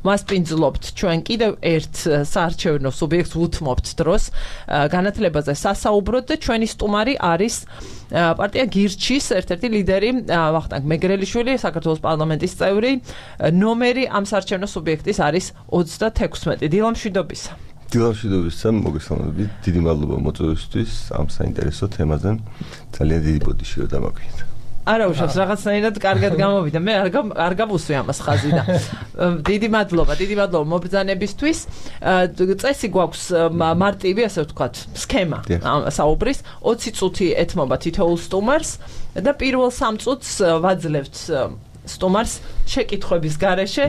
მას პინძლობთ ჩვენ კიდევ ერთ საარჩევნო სუბიექტს უთმობთ დროს განათლებაზე სასაუბროთ და ჩვენი სტუმარი არის პარტია გირჩის ერთ-ერთი ლიდერი ვახტანგ მეგრელიშვილი, საქართველოს პარლამენტის წევრი. ნომერი ამ საარჩევნო სუბიექტის არის 36. დილამშვიდობისა. დილამშვიდობისა, მოგესალმებით. დიდი მადლობა მოწვევისთვის ამ საინტერესო თემაზე. ძალიან დიდი ბოდიშია დამაგვიეთ. არა უშავს რაღაცნაირად კარგად გამოვიდა. მე არ გავუსვი ამას ხაზი და დიდი მადლობა მობრძანებისთვის. წესი გვაქვს მარტივი, ასე ვთქვათ, სქემა საუბრის. 20 წუთი ეთმობა თითოეულ სტუმარს და პირველ 3 წუთს ვაძლევთ სტუმარს შეკითხვების გარეშე.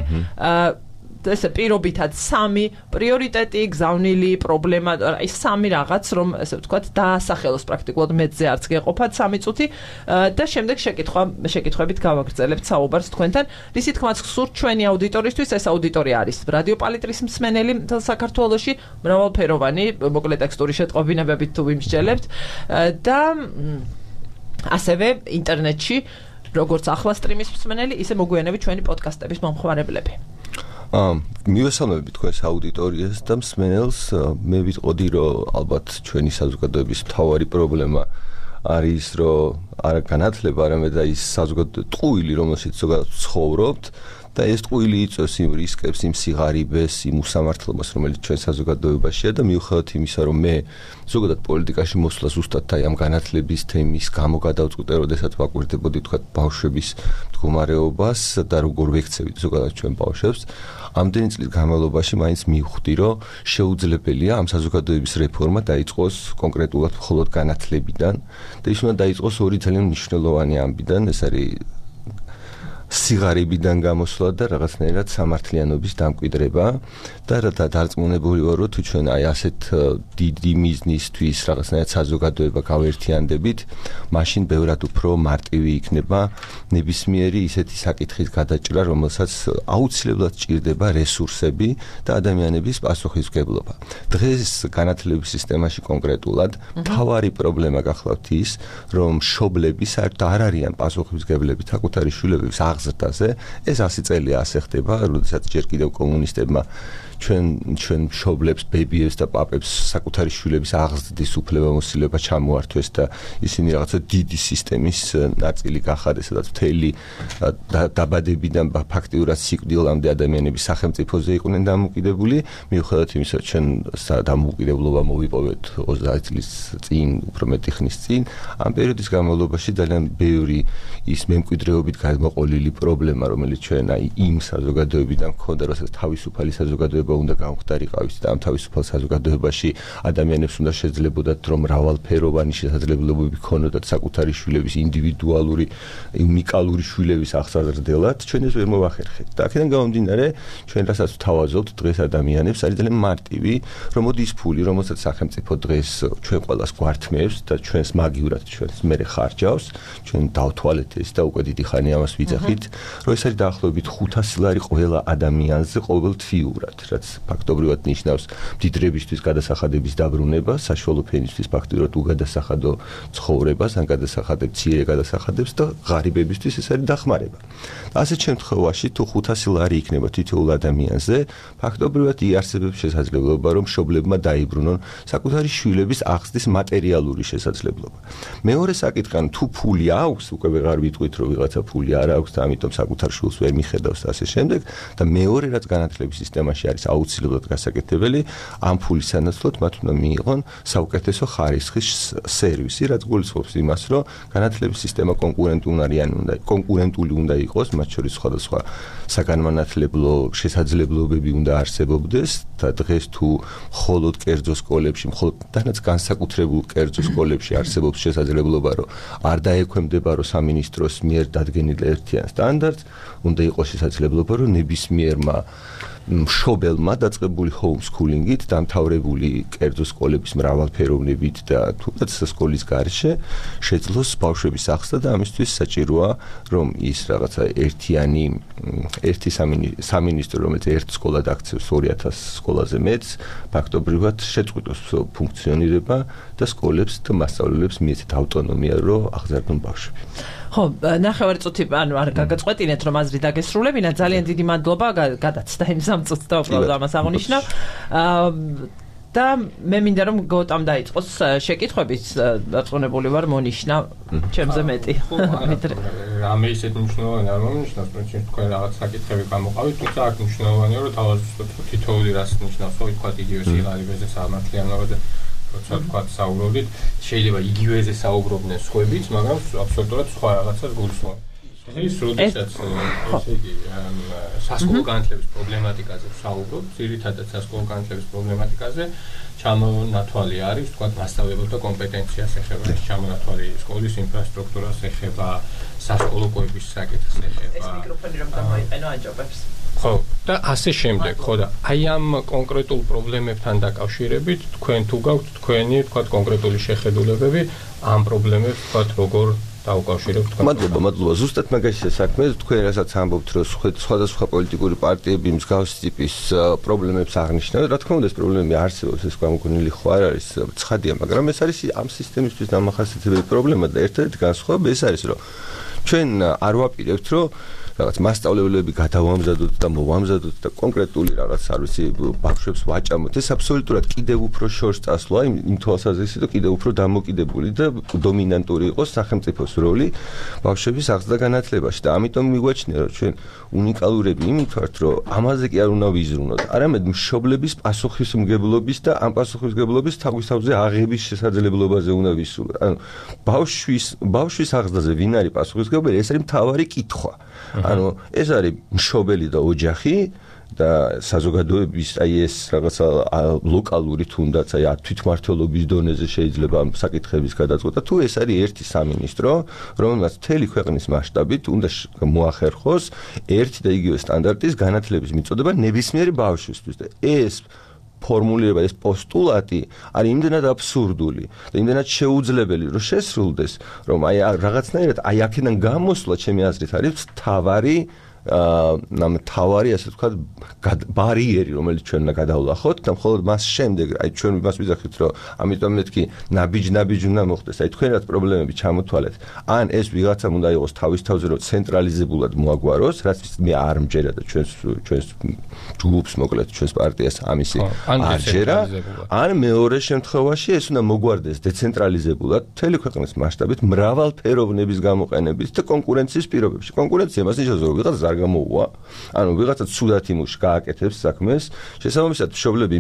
ესე პირობითად 3 პრიორიტეტი, გზავნილი პრობლემა, აი 3 რაღაც, რომ ესე ვთქვათ, დაასახელოს პრაქტიკულად მეძზე არც გეყოფათ 3 წუთი და შემდეგ შეკითხვებით გავაგრძელებთ საუბარს თქვენთან. რისი თქმაც გსურთ ჩვენი აუდიტორისთვის, ეს აუდიტორია არის რადიო პალიტრის მსმენელი საქართველოში, მრავალფეროვანი, მოკლე ტექსტური შეტყობინებებით თუ ვიმსჯელებთ და ასევე ინტერნეტში როგორც ახლა სტრიმის მსმენელი, ისე მოგვიანებით ჩვენი პოდკასტების მომხმარებლები. მივესალმები თქვენს აუდიტორიას და მსმენელს. მე ვიტყოდი, რომ ალბათ ჩვენი საზოგადოების მთავარი პრობლემა არის, რომ არ განათლება, არამედ ის საზოგადოების ტყუილი, რომელშიც ზოგადად ცხოვრობთ და ეს ტყუილი იწვევს იმ რისკებს, იმ სიღარიბეს, იმ უსამართლობას, რომელიც ჩვენ საზოგადოებაშია და მიუხედავად იმისა, რომ მე ზოგადად პოლიტიკაში მოსვლა ზუსტად აი ამ განათლების თემის გამო გადავწყვიტე, როდესაც ვაკვირდებოდი თქვა ბავშვების მდგომარეობას და როგორ ვექცევით ზოგადად ჩვენ ბავშვებს. ამდენი წლის განმავლობაში მაინც მივხვდი, რომ შეუძლებელია ამ საზოგადოების რეფორმა დაიწყოს კონკრეტულად მხოლოდ განათლებიდან და ის უნდა დაიწყოს ორი ძალიან მნიშვნელოვანი ამბიდან, ეს არის სიღარიბიდან გამოსვლა და რაღაცნაირად სამართლიანობის დამკვიდრება და დარწმუნებული ვარ, რომ თუ ჩვენ აი ასეთ დიდი მიზნისთვის რაღაცნაირად საზოგადოება გავერთიანდებით, მაშინ ბევრად უფრო მარტივი იქნება ნებისმიერი ისეთი საკითხის გადაჭრა, რომელსაც აუცილებლად ჭირდება რესურსები და ადამიანების პასუხისმგებლობა. დღეს განათლების სისტემაში კონკრეტულად მთავარი პრობლემა გახლავთ ის, რომ მშობლები საერთოდ არ არიან პასუხისმგებლები საკუთარი შვილების აღზრდაზე. ეს 100 წელია ასე ხდება, როდესაც ჯერ კიდევ კომუნისტებმა ჩვენ მშობლებს, ბებიებს და პაპებს საკუთარი შვილების აღზრდის უფლებამოსილება ჩამოართვეს და ისინი რაღაცა დიდი სისტემის ნაწილი გახადეს, სადაც მთელი დაბადებიდან ფაქტიურად სიკვდილამდე ადამიანების სახელმწიფოზე იყვნენ დამოკიდებული. მიუხედავად იმისა, ჩვენ დამოუკიდებლობა მოვიპოვეთ 30 წლის წინ, უფრო მეტი ხნის წინ, ამ პერიოდის განმავლობაში ძალიან ბევრი ის მემკვიდრეობით გადმოყოლილი პრობლემა, რომელიც ჩვენ აი იმ საზოგადოებიდან გვქონდა, რასაც თავისუფალი საზოგადოება უნდა გამختარიყავით და ამ თავისუფალ საზოგადოებაში ადამიანებს უნდა შეძლებოდათ, რომ მრავალფეროვანი შესაძლებლობები ქონოდათ საკუთარი შვილების ინდივიდუალური, უნიკალური შვილების აღსაზრდელად, ჩვენ ეს ვერ მოვახერხეთ. და აქედან გამომდინარე, ჩვენ რასაც ვთავაზობთ დღეს ადამიანებს, არის ძალიან მარტივი, რომ მოდი ის ფული, რომელსაც სახელმწიფო დღეს ჩვენ ყველას გვართმევს და ჩვენს მაგივრად ჩვენს მერე ხარჯავს, ჩვენ დავთვალეთ ეს და უკვე დიდი ხანი ამას ვიძახით, რომ ეს არის დაახლოებით 500 ლარი ყველა ადამიანზე ყოველთვიურად, რაც ფაქტობრივად ნიშნავს მდიდრებისთვის გადასახადების დაბრუნება, საშუალო ფენისთვის ფაქტობრივად უგადასახადო ცხოვრებას, ან გადასახადებ მცირე გადასახადებს და ღარიბებისთვის ეს არის დახმარება. ასეთ შემთხვევაში თუ 500 ლარი იქნება თითოეულ ადამიანზე, ფაქტობრივად იარსებებს შესაძლებლობა, რომ მშობლებმა დაიბრუნონ საკუთარი შვილების აღზრდის მატერიალური შესაძლებლობა. მეორე საკითხი, თუ ფული აქვს, უკვე ვეღარ ვიტყვით, რომ ვიღაცა ფული არ აქვს და ამიტომ საკუთარ შვილს ვერ მიხედავს და ასე შემდეგ და მეორე რაც განათლების სისტემაში არის აუცილებლად გასაკეთებელი, ამ ფულის სანაცვლოდ მათ უნდა მიიღონ საუკეთესო ხარისხის სერვისი, რაც გულისხმობს იმას, რომ განათლების სისტემა კონკურენტული უნდა იყოს, მათ შორის სხვადასხვა საგანმანათლებლო შესაძლებლობები უნდა არსებობდეს და დღეს თუ მხოლოდ კერძო სკოლებში, მხოლოდ განსაკუთრებულ კერძო სკოლებში არსებობს შესაძლებლობა, რომ არ დაექვემდებარო სამინისტროს მიერ დადგენილ ერთიან სტანდარტს, უნდა იყოს შესაძლებლობა, რომ ნებისმიერმა მშობელმა დაწყებული ჰოუმსკულინგით დამთავრებული კერძო სკოლების მრავალფეროვნებით და თუნდაც სკოლის გარშე შეძლოს ბავშვების აღზრდა და ამისთვის საჭიროა, რომ ის რაღაცა ერთი სამინისტრო, რომელიც ერთ სკოლად აქცევს 2000 სკოლაზე მეც, ფაქტობრივად შეწყვიტოს ფუნქციონირება და სკოლებს და მასწავლებლებს მიეცეთ ავტონომია, რომ აღზარდონ ბავშვები. ხო, ნახევარი წუთი არ გაგაწყვეტინეთ, რომ აზრი დაგესრულებინა. ძალიან დიდი მადლობა, გადაცდა იმ 3 წუთს და უბრალოდ ამას აღნიშნავ. და მე მინდა რომ გოტამ დაიწყოს შეკითხვების დაწუნებული ვარ მონიშნა ჩემზე მეტი. რამე ისეთ მნიშვნელოვანი არ მომნიშნავს, პრინციპში თქვენ რაღაც საკითხები გამოყავით, თუმცა აქ მნიშვნელოვანია, რომ თავაზობთ თითოეული რას ნიშნავს, ხო, თქვა იგივე სიღარიბეზე, სამართლიანობაზე, როცა თქვა საუბრობთ, შეიძლება იგივეზე საუბრობდნენ სხვაებიც, მაგრამ აბსოლუტურად სხვა რაღაცას გულისხმობ. ეს როდესაც ესე იგი სასკოლო განათლების პრობლემატიკაზე ვსაუბრობ, ძირითადად სასკოლო განათლების პრობლემატიკაზე ჩამონათვალი არის, თქვა მასწავლებელთა კომპეტენციას ეხება, ჩამონათვალი სკოლის ინფრასტრუქტურას ეხება, სასკოლო კვების საკითხს ეხება. ეს მიკროფონი რომ გამოიყენო აჯობებს. ხო, და ასე შემდეგ, ხო და აი ამ კონკრეტულ პრობლემებთან დაკავშირებით თქვენ თუ გაქვთ თქვენი, თქვა კონკრეტული შეხედულებები ამ პრობლემებს, თქვა როგორ დაუკავშირებთ თქვენ. მადლობა. ზუსტად მაგაშია საქმე, თქვენ რასაც ამბობთ, რომ სხვადასხვა პოლიტიკური პარტიები მსგავსი ტიპის პრობლემებს აღნიშნავენ, რა თქმა უნდა, ეს პრობლემები არსებობს, ეს გამოგონილი ხო არ არის ცხადია, მაგრამ ეს არის ამ სისტემისთვის დამახასიათებელი პრობლემა და ერთადერთი განსხვავება ეს არის, რომ ჩვენ არ ვაპირებთ რომ რაღაც მასშტაბლებლები გადავამზადოთ და მოვამზადოთ და კონკრეტული რაღაც არ ვიცი ბავშვებს ვაჭამოთ. ეს აბსოლუტურად კიდევ უფრო შორს წასვლა იმ თვალსაზრისით, რომ კიდევ უფრო დამოკიდებული და დომინანტური იყოს სახელმწიფოს როლი ბავშვების აღზრდა განათლებაში და ამიტომ მიგვაჩნია რომ ჩვენ უნიკალურები იმით ვართ, რომ ამაზე კი არ უნდა ვიზრუნოთ, არამედ მშობლების პასუხისმგებლობის და ამ პასუხისმგებლობის თავისთავზე აღების შესაძლებლობაზე უნდა ვისურვოთ. ანუ ბავშვის აღზრდაზე ვინ არის პასუხისმგებელი, ეს არის მთავარი კითხვა. ანუ ეს არის მშობელი და ოჯახი და საზოგადოების აი ეს რაღაცა ლოკალური თუნდაც აი თვითმმართველობის დონეზე შეიძლება ამ საკითხების გადაწყვეტა თუ ეს არის ერთი სამინისტრო რომელმაც მთელი ქვეყნის მასშტაბით უნდა მოახერხოს ერთი და იგივე სტანდარტის განათლების მიწოდება ნებისმიერი ბავშვისთვის და ეს ფორმულირება ეს პოსტულატი არის იმდენად აბსურდული და იმდენად შეუძლებელი რომ შესრულდეს რომ აი რაღაცნაირად აი აქედან გამოსვლა ჩემი აზრით არის თავარი ასე ვთქვათ ბარიერი რომელიც ჩვენ უნდა გადავლახოთ და მხოლოდ მას შემდეგ აი ჩვენ მას ვიზახით რომ ამიტომ მეთქი ნაბიჯ უნდა მოხდეს აი თქვენაც პრობლემები ჩამოთვალეთ ან ეს ვიღაცამ უნდა იყოს თავის თავზე რომ ცენტრალიზებულად მოაგვაროს რაც მე არ მჯერა და ჩვენს ჯგუფს მოკლედ ჩვენს პარტიას ამისი არ ჯერა ან მეორე შემთხვევაში ეს უნდა მოგვარდეს დეცენტრალიზებულად მთელი ქვეყნის მასშტაბით მრავალფეროვნების გამოყენებით და კონკურენციის პირობებში კონკურენცია მას ნიშნავს რომ ვიღაცა გამოუვა, ანუ ვიღაცა ცუდად იმუშ გააკეთებს საქმეს, შესაბამისად მშობლები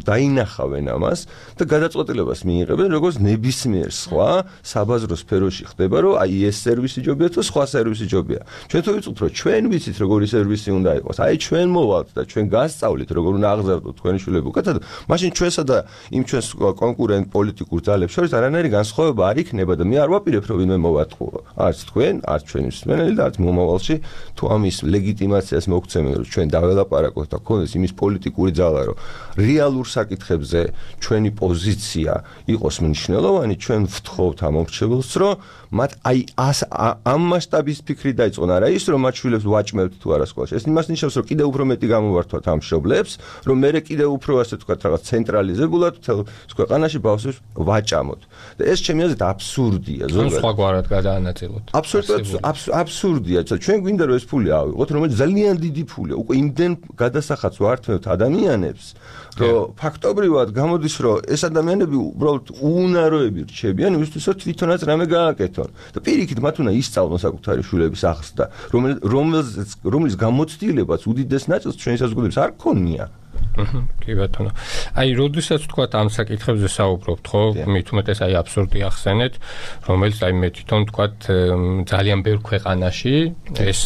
დაინახავენ ამას და გადაწყვეტილებას მიიღებენ, როგორც ნებისმიერ სხვა საბაზრო სფეროში ხდება, რომ აი ეს სერვისი ჯობია თუ სხვა სერვისი ჯობია. ჩვენ თუ ვიწუთ, რომ ჩვენ ვიცით, როგორი სერვისი უნდა იყოს, აი ჩვენ მოვალთ და ჩვენ გასწავლით, როგორ უნდა აღზარდოთ თქვენი შვილები უკეთად, მაშინ ჩვენსა და იმ ჩვენს კონკურენტ პოლიტიკურ ძალებს შორის არანაირი განსხვავება არ იქნება და მე არ ვაპირებ, რომ ვინმე მოვატყუო. არც თქვენ, არც ჩვენი მსმენელი და არც მომავალში თუ ამის ლეგიტიმაციას მოგცემენ რომ ჩვენ დაველაპარაკოთ და გქონდეს იმის პოლიტიკური ძალა რომ რეალურ საკითხებზე ჩვენი პოზიცია იყოს მნიშვნელოვანი ჩვენ ვთხოვთ ამ მომრჩეველს რომ მათ აი ამ მასშტაბის ფიქრი დაიწყონ არა ის რომ მათ შვილებს ვაჭმევთ თუ არა სკოლაში ეს იმას ნიშნავს რომ კიდევ უფრო მეტი გამოვართვათ ამ მშობლებს რომ მე კიდევ უფრო ასე ვთქვათ რაღაც ცენტრალიზებულად ქვეყანაში ბავშვებს ვაჭამოთ და ეს ჩემი აზრით აბსურდია ზოგადად სხვაგვარად გადაანაწილოთ აბსურდია ჩვენ გვინდა რომ ეს ფული ავიღოთ რომელიც ძალიან დიდი ფულია უკვე იმდენ გადასახადს ვართმევთ ადამიანებს რომ ფაქტობრივად გამოდის რომ ეს ადამიანები უბრალოდ უნაროები რჩებიან იმისთვის რომ თვითონაც რამე გააკეთონ და პირიქით მათ უნდა ისწავლონ საკუთარი შვილების აღზრდა რომლის გამოცდილებაც უდიდეს ნაწილს ჩვენი საზოგადოების არ ქონია კი ბატონო. აი, როდესაც თქვათ ამ საკითხებზე საუბრობთ, ხო, მით უმეტეს აი აბსურდი ახსენეთ, რომელიც აი მე თვითონ თქვათ ძალიან ბევრ ქვეყანაში ეს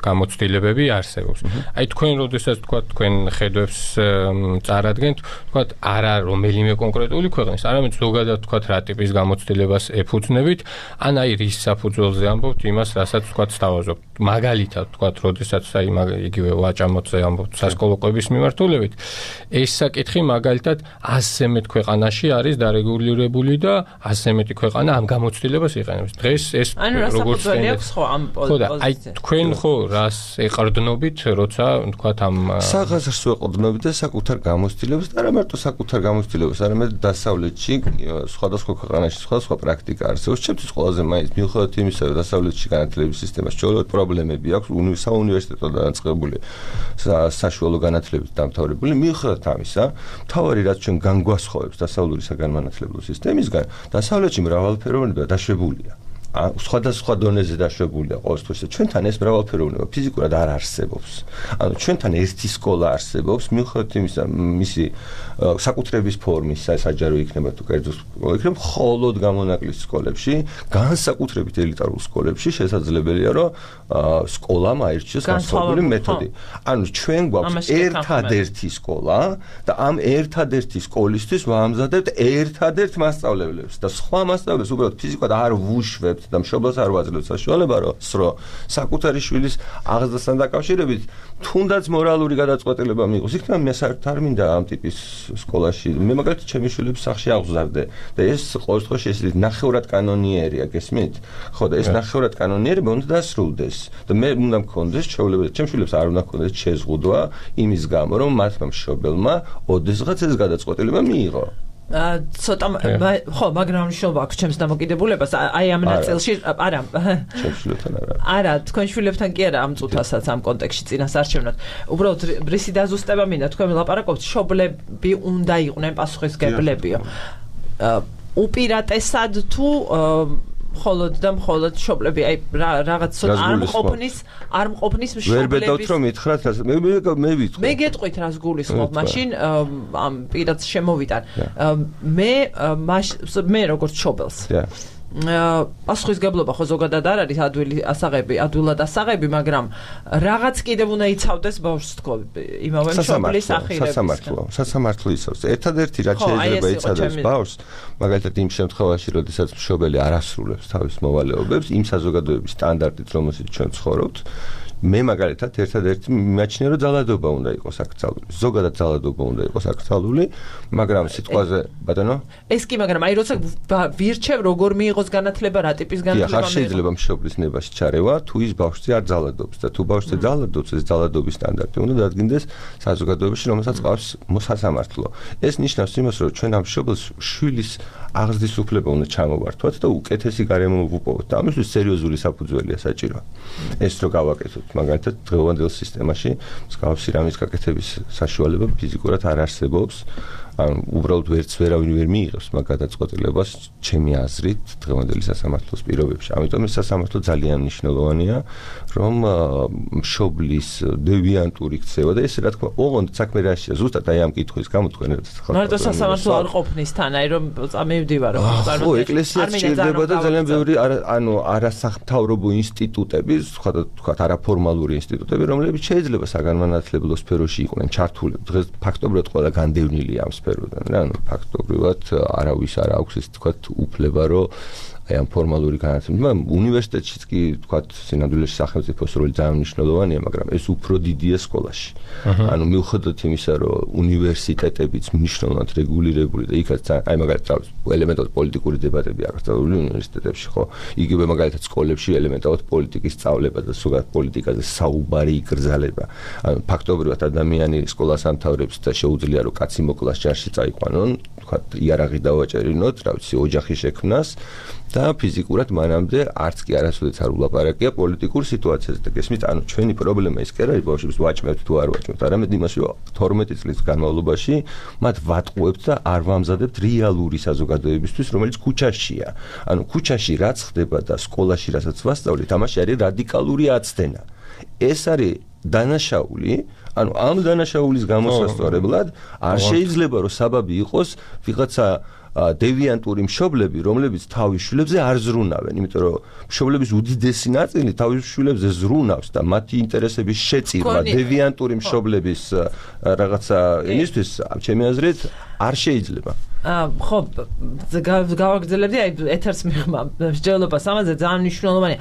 გამოცდილებები არსებობს. აი, თქვენ როდესაც თქვათ თქვენ ხედვებს წარადგენთ, თქვათ არა რომელიმე კონკრეტული ქვეყნის, არამედ ზოგადად თქვათ რა ტიპის გამოცდილებას ეფუძნებით, ან აი რის საფუძველზე ამბობთ იმას, რასაც თქვათ სთავაზობთ. მაგალითად თქვათ, როდესაც აი იგივე ვაჭამოთზე ამბობთ სასკოლო ყვების მიმართულებით ეს საკითხი მაგალითად 100-ზე მეტ ქვეყანაში არის დარეგულირებული და 100-ზე მეტი ქვეყანა ამ გამოცდილებას იყენებს. დღეს ეს როგორც აქვს ხო ამ პოზიციაზე. აი თქვენ ხო რას ეყრდნობით, როცა თქვათ ამ საღაზრს ეყრდნობით და საკუთარ გამოცდილებას და არა მარტო საკუთარ გამოცდილებას, არამედ დასავლეთში სხვადასხვა ქვეყანაში სხვადასხვა პრაქტიკა არსებობს. ჩემთვის ყველაზე მაინც მიუხედავად იმისა, რომ დასავლეთში განათლების სისტემას ჩვეულებრივ პრობლემები აქვს, საუნივერსიტეტო დაწყებული საშუალო განათლებით დამთავრებული მიუხედავად ამისა, მთავარი რაც ჩვენ განგვასხოვებს დასავლური საგანმანათლებლო სისტემისგან, დასავლეთში მრავალფეროვნება დაშვებულია. სხვადასხვა დონეზე დაშვებულია ყოველთვის. ჩვენთან ეს მრავალფეროვნება ფიზიკურად არ არსებობს. ანუ ჩვენთან ერთი სკოლა არსებობს, მიუხედავად იმისა, მისი საკუთრების ფორმის საჯარო იქნება თუ კერძო სკოლა იქნება, მხოლოდ გამონაკლისის სკოლებში, განსაკუთრებით ელიტარულ სკოლებში შესაძლებელია, რომ სკოლამ აირჩიოს განსხვავებული მეთოდი. ანუ ჩვენ გვაქვს ერთადერთი სკოლა და ამ ერთადერთი სკოლისთვის ვამზადებთ ერთადერთ მასწავლებლებს და სხვა მასწავლებლებს უბრალოდ ფიზიკურად არ ვუშვებთ და მშობელს არ ვაძლევთ საშუალება რომ საკუთარი შვილის აღზრდასთან დაკავშირებით თუნდაც მორალური გადაწყვეტილება მიიღოს. იქნება მე საერთოდ არ მინდა ამ ტიპის სკოლაში. მე მაგალითად ჩემი შვილებს სახლში აღზარდე და ეს ყოველ შემთხვევაში ეს ნახევრად კანონიერია, გესმით? ხო და ეს ნახევრად კანონიერება უნდა დასრულდეს და მე უნდა მქონდეს ჩვეულებრივ ჩემ შვილებს არ უნდა მქონდეს შეზღუდვა იმის გამო რომ მათმა მშობელმა ოდესღაც ეს გადაწყვეტილება მიიღო. ცოტა ხო, მაგრამ მნიშვნელობა აქვს ჩემს დამოკიდებულებას. აი ამ ნაწილში არა. შევშვილებთან არა. არა, თქვენ შვილებთან კი არა ამ წუთასაც ამ კონტექსტში წინასარჩევნად. უბრალოდ რისი დაზუსტება მინდა, თქვენ ვლაპარაკობთ, მშობლები უნდა იყვნენ პასუხისმგებლებიო. უპირატესად თუ მხოლოდ მშობლები, აი რაღაც არ მყოფნის მშობლების. ვერ ბედავთ რომ ითხრათ, მე ვიტყვი. მე გეტყვით რას გულისხმობ, მაშინ ამ პირადს შემოვიტან. მე როგორც მშობელს. პასუხისმგებლობა ხო ზოგადად არ არის ადვილად ასაღები, მაგრამ რაღაც კიდევ უნდა იცავდეს ბავშვს თქო, იმავე მშობლის ახირებისგან. სასამართლო იცავს. ერთადერთი რაც შეიძლება იცავდეს ბავშვს, მაგალითად იმ შემთხვევაში, როდესაც მშობელი არ ასრულებს თავის მოვალეობებს, იმ საზოგადოების სტანდარტით, რომელშიც ჩვენ ცხოვრობთ, მე მაგალითად ერთადერთი მიმაჩნია, რომ ძალადობა უნდა იყოს აკრძალული. ზოგადად ძალადობა უნდა იყოს აკრძალული, მაგრამ სიტყვაზე, ბატონო? ეს კი, მაგრამ აი როცა ვირჩევ როგორ მიიღოს განათლება, რა ტიპის განათლება მიიღოს. შეიძლება მშობლის ნებაში ჩარევა, თუ ის ბავშვზე არ ძალადობს და თუ ბავშვზე ძალადობს, ეს ძალადობის სტანდარტი უნდა დადგინდეს საზოგადოებაში, რომელსაც ყავს სასამართლო. ეს ნიშნავს იმას, რომ ჩვენ ამ მშობელს შვილის აღზრდის უფლება უნდა ჩამოვართვათ და უკეთესი გარემო ვუპოვოთ. და ამისთვის სერიოზული საფუძველია საჭირო. ეს რო გავაკეთოთ, მაგალითად დღევანდელ სისტემაში მსგავსი რამის გაკეთების საშუალება ფიზიკურად არ არსებობს. უბრალოდ ვერავინ ვერ მიიღებს მაგ გადაწყვეტილებას ჩემი აზრით დღევანდელი სასამართლოს პირობებში. ამიტომ ეს სასამართლო ძალიან მნიშვნელოვანია, რომ მშობლის დევიანტური ქცევა და ეს რა თქმა უნდა, ოღონდ საქმე რაშია, ზუსტად აი ამ კითხვის გამო თქვენ ხალხო. მარტო სასამართლო არ ყოფნის თან, აი რომ წამივდივარ, რომ ხო, ეკლესია სჭირდება და ძალიან ბევრი არასახმთავრობო ინსტიტუტები, თქვათ არაფორმალური ინსტიტუტები, რომლებიც შეიძლება საგანმანათლებლო სფეროში იყვნენ ჩართული. დღეს ფაქტობრივად ყველა განდევნილია ამ სფეროდან რა, ფაქტობრივად არავის არ აქვს ეს თქვათ უფლება, რომ აი ამ ფორმალური განათლება, უნივერსიტეტშიც კი თქვათ სინამდვილეში სახელმწიფოს როლი ძალიან მნიშვნელოვანია, მაგრამ ეს უფრო დიდია სკოლაში. ანუ მიუხედავად იმისა, რომ უნივერსიტეტებიც მნიშვნელოვნად რეგულირებული და იქაც აი მაგალითად ელემენტად პოლიტიკური დებატები აკრძალული უნივერსიტეტებში, ხო? იგივე მაგალითად სკოლებში ელემენტად პოლიტიკის სწავლება და ზოგადად პოლიტიკაზე საუბარი იკრძალება. ანუ ფაქტობრივად ადამიანი სკოლას ამთავრებს და შეუძლია რომ კაცი მოკლას ჯარში წაიყვანონ, თქვათ იარაღი დავაჭერინოთ, რა ვიცი, ოჯახი შექმნას და ფიზიკურად მანამდე არც კი არასოდეს არ ულაპარაკია პოლიტიკურ სიტუაციაზე და გესმით, ანუ ჩვენი პრობლემა ის კი არ არის ბავშვებს ვაჭმევთ თუ არ ვაჭმევთ, არამედ იმაში, რომ 12 წლის განმავლობაში მათ ვატყუებთ და არ ვამზადებთ რეალური საზოგადოებისთვის, რომელიც ქუჩაშია. ანუ ქუჩაში რაც ხდება და სკოლაში რასაც ვასწავლეთ, ამაში არის რადიკალური აცდენა. ეს არის დანაშაული, ანუ ამ დანაშაულის გამოსასწორებლად არ შეიძლება რომ საბაბი იყოს ვიღაცა დევიანტური მშობლები, რომლებიც თავის შვილებზე არ ზრუნავენ, იმიტომ რომ მშობლების უდიდესი ნაწილი თავის შვილებზე ზრუნავს და მათი ინტერესების შეწირვა დევიანტური მშობლების რაღაცა იმისთვის, ჩემი აზრით, არ შეიძლება. ხო, გავაგრძელებდი აი ეთერს მიღმა მსჯელობას ამაზე ძალიან მნიშვნელოვანია.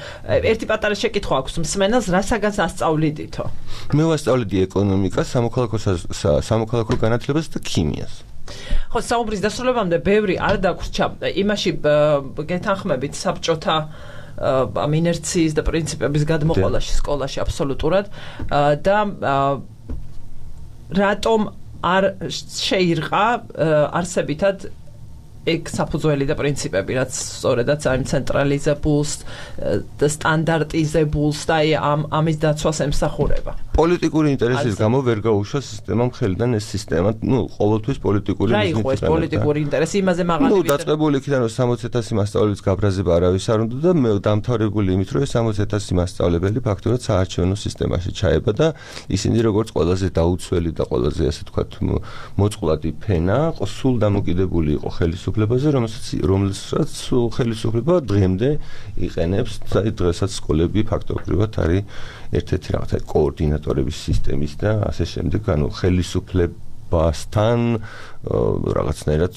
ერთი პატარა შეკითხვა აქვს მსმენელს, რასაგანს ასწავლიდითო? მე ვასწავლიდი ეკონომიკას, სამოქალაქო განათლებას და ქიმიას. ხო, საუბრის დასრულებამდე ბევრი არ დაგვრჩა იმაში გეთანხმებით საბჭოთა ამ ინერციის და პრინციპების გადმოყოლაში სკოლაში აბსოლუტურად და რატომ არ შეირყა არსებითად ეგ საფუძველი და პრინციპები, რაც სწორედაც ამ ცენტრალიზებულს და სტანდარტიზებულს და ამის დაცვას ემსახურება. პოლიტიკური ინტერესის გამო ვერ გაუშვა სისტემამ ხელიდან ეს სისტემა, ყოველთვის პოლიტიკური რა იყო ეს პოლიტიკური ინტერესი, იმაზე მაღალი დაწყებული იქიდან რომ 60,000 მასწავლებლის გაბრაზება არავის არ უნდა და მე დამთავრებული იმით რომ 60,000 მასწავლებელი ფაქტობრივად საარჩევნო სისტემაში ჩაება და ისინი როგორც ყველაზე დაუცველი და ყველაზე ასე ვთქვათ მოწყვლადი ფენა სულ დამოკიდებული იყო ხელისუფლებაზე, რომელსაც ხელისუფლება დღემდე იყენებს და დღესაც სკოლები ფაქტობრივად არის ერთ-ერთი რაღაცა კოორდინატორების სისტემის და ასე შემდეგ, ანუ ხელისუფლებასთან რაღაცნაირად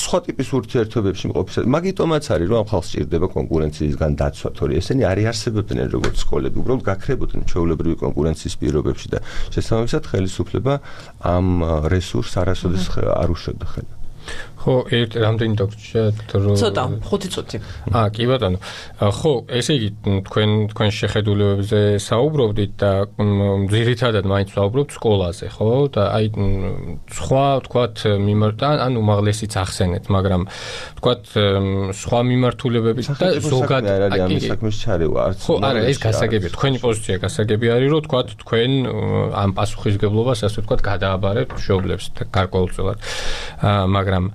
სხვა ტიპის ურთიერთობებში მყოფისას. მაგიტომაც არის, რომ ამ ხალხს სჭირდება კონკურენციისგან დაცვა, თორე ესენი არ იარსებებდნენ როგორც სკოლები, უბრალოდ გაქრებოდნენ ჩვეულებრივი კონკურენციის პირობებში და შესაბამისად ხელისუფლება ამ რესურსს არასოდეს არ უშვებდა ხელს. ხო, რამდენი დაგჭირთ რომ ცოტა 5 წუთი. კი ბატონო. ხო, ესე იგი თქვენ შეხედულებებზე საუბრობდით და ძირითადად მაინც საუბრობთ სკოლაზე, ხო? და აი სხვა თქვათ ან უმაღლესიც ახსენეთ, მაგრამ თქვათ სხვა მიმართულებებით და ზოგადად ამის საქმეს ჩარევა არც. ხო, არა, ეს გასაგებია. თქვენი პოზიცია გასაგები არის, რომ თქვათ თქვენ ამ პასუხისგებლობას ასე ვთქვათ გადააბარებთ მშობლებს გარკვეულწილად. მაგრამ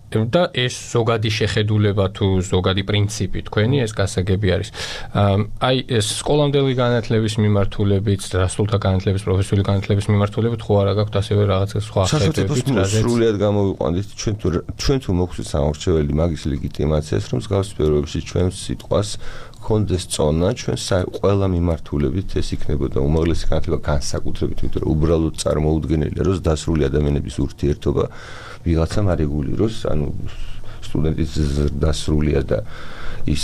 და ეს ზოგადი შეხედულება თუ ზოგადი პრინციპი თქვენი ეს გასაგები არის. აი ეს სკოლამდელი განათლების მიმართულებით, დასრულთა განათლების, პროფესიული განათლების მიმართულებით ხო არა გაქვთ ასევე რაღაცა სხვა ხედვები, რაზეც სრულიად გამოვიყვანთ ჩვენ თუ მოგვცეთ სამორჩეველი მაგის ლეგიტიმაციას, რომ მსგავს სფეროებში ჩვენ სიტყვას კონდეს წონა, ჩვენ ყველა მიმართულებით ეს იქნებოდა უმაღლესი განათლება განსაკუთრებით, იმიტომ რომ უბრალოდ წარმოუდგენელია, რომ დასრული ადამიანების ურთიერთობა ვიღაცამ არეგულიროს, ანუ სტუდენტის დასრულია და ის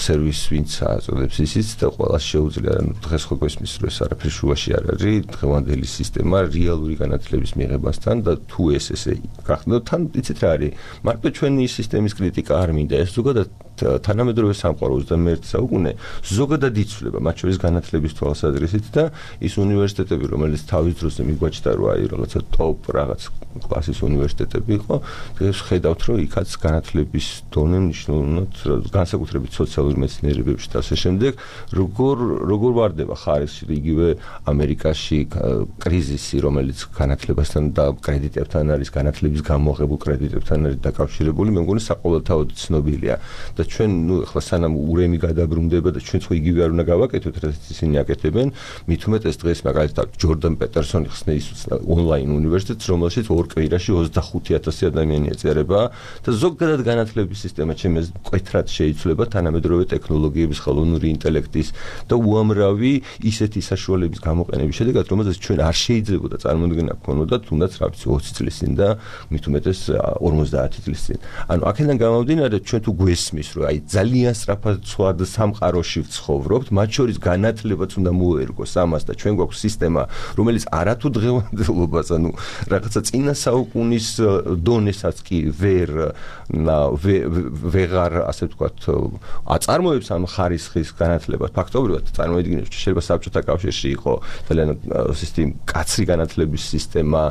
სერვისი ვინც აწოდებს ისიც და ყველა შეუძლია, ანუ დღეს ხო გვესმის რომ ეს არაფერი შუაში არ არის, დღევანდელი სისტემა რეალური განათლების მიღებასთან და თუ ესე გახდა, თან იცით რა არის, მარტო ჩვენი სისტემის კრიტიკა არ მინდა, ეს ზოგადად თანამედროვე სამყარო 21 საუკუნე ზოგადად იცვლება, მათ შორის განათლების თვალსაზრისით და ის უნივერსიტეტები, რომელიც თავის დროზე მიგვაჩნდა, რომ აი რაღაცა ტოპ რაღაც კლასის უნივერსიტეტები იყო, დღეს ხედავთ, რომ იქაც განათლების დონე მნიშვნელოვნად განსაკუთრებით სოციალური მეცნიერებებში და ასე შემდეგ, როგორ ვარდება ხარისხი იგივე ამერიკაში კრიზისი, რომელიც განათლებასთან და კრედიტებთან არის, განათლების გამოღებულ კრედიტებთან არის დაკავშირებული, მე მგონი საყოველთაოდ ცნობილია. და ჩვენ ახლა სანამ ურემი გადაბრუნდება და ჩვენ ხო იგივე არ უნდა გავაკეთოთ, რაც ისინი აკეთებენ, მით უმეტეს დღეს მაგალითად ჯორდან პეტერსონი ხსნის ონლაინ უნივერსიტეტს, რომელშიც ორ კვირაში 25000 ადამიანი ეწერება და ზოგადად განათლების სისტემა ჩემს მკვეთრად შეიცვლება თანამედროვე ტექნოლოგიების, ხელოვნური ინტელექტის და უამრავი ისეთი საშუალებების გამოყენების შედეგად, რომელზეც ჩვენ არ შეიძლებოდა წარმოუდგენა გქონოდა თუნდაც რა ვიცი 20 წლის წინ და მით უმეტეს 50 წლის წინ. ანუ აქედან გამომდინარე ჩვენ თუ გვესმის რომ აი ძალიან სწრაფად სხვა სამყაროში ვცხოვრობთ, მათ შორის განათლებაც უნდა მოერგოს ამას და ჩვენ გვაქვს სისტემა, რომელიც არათუ დღევანდელობას, ანუ რაღაცა წინა საუკუნის დონესაც კი ვეღარ ასე ვთქვათ აწარმოებს ამ ხარისხის განათლებას. ფაქტობრივად წარმოიდგინეთ, შეიძლება საბჭოთა კავშირში იყო ძალიან კაცრი განათლების სისტემა,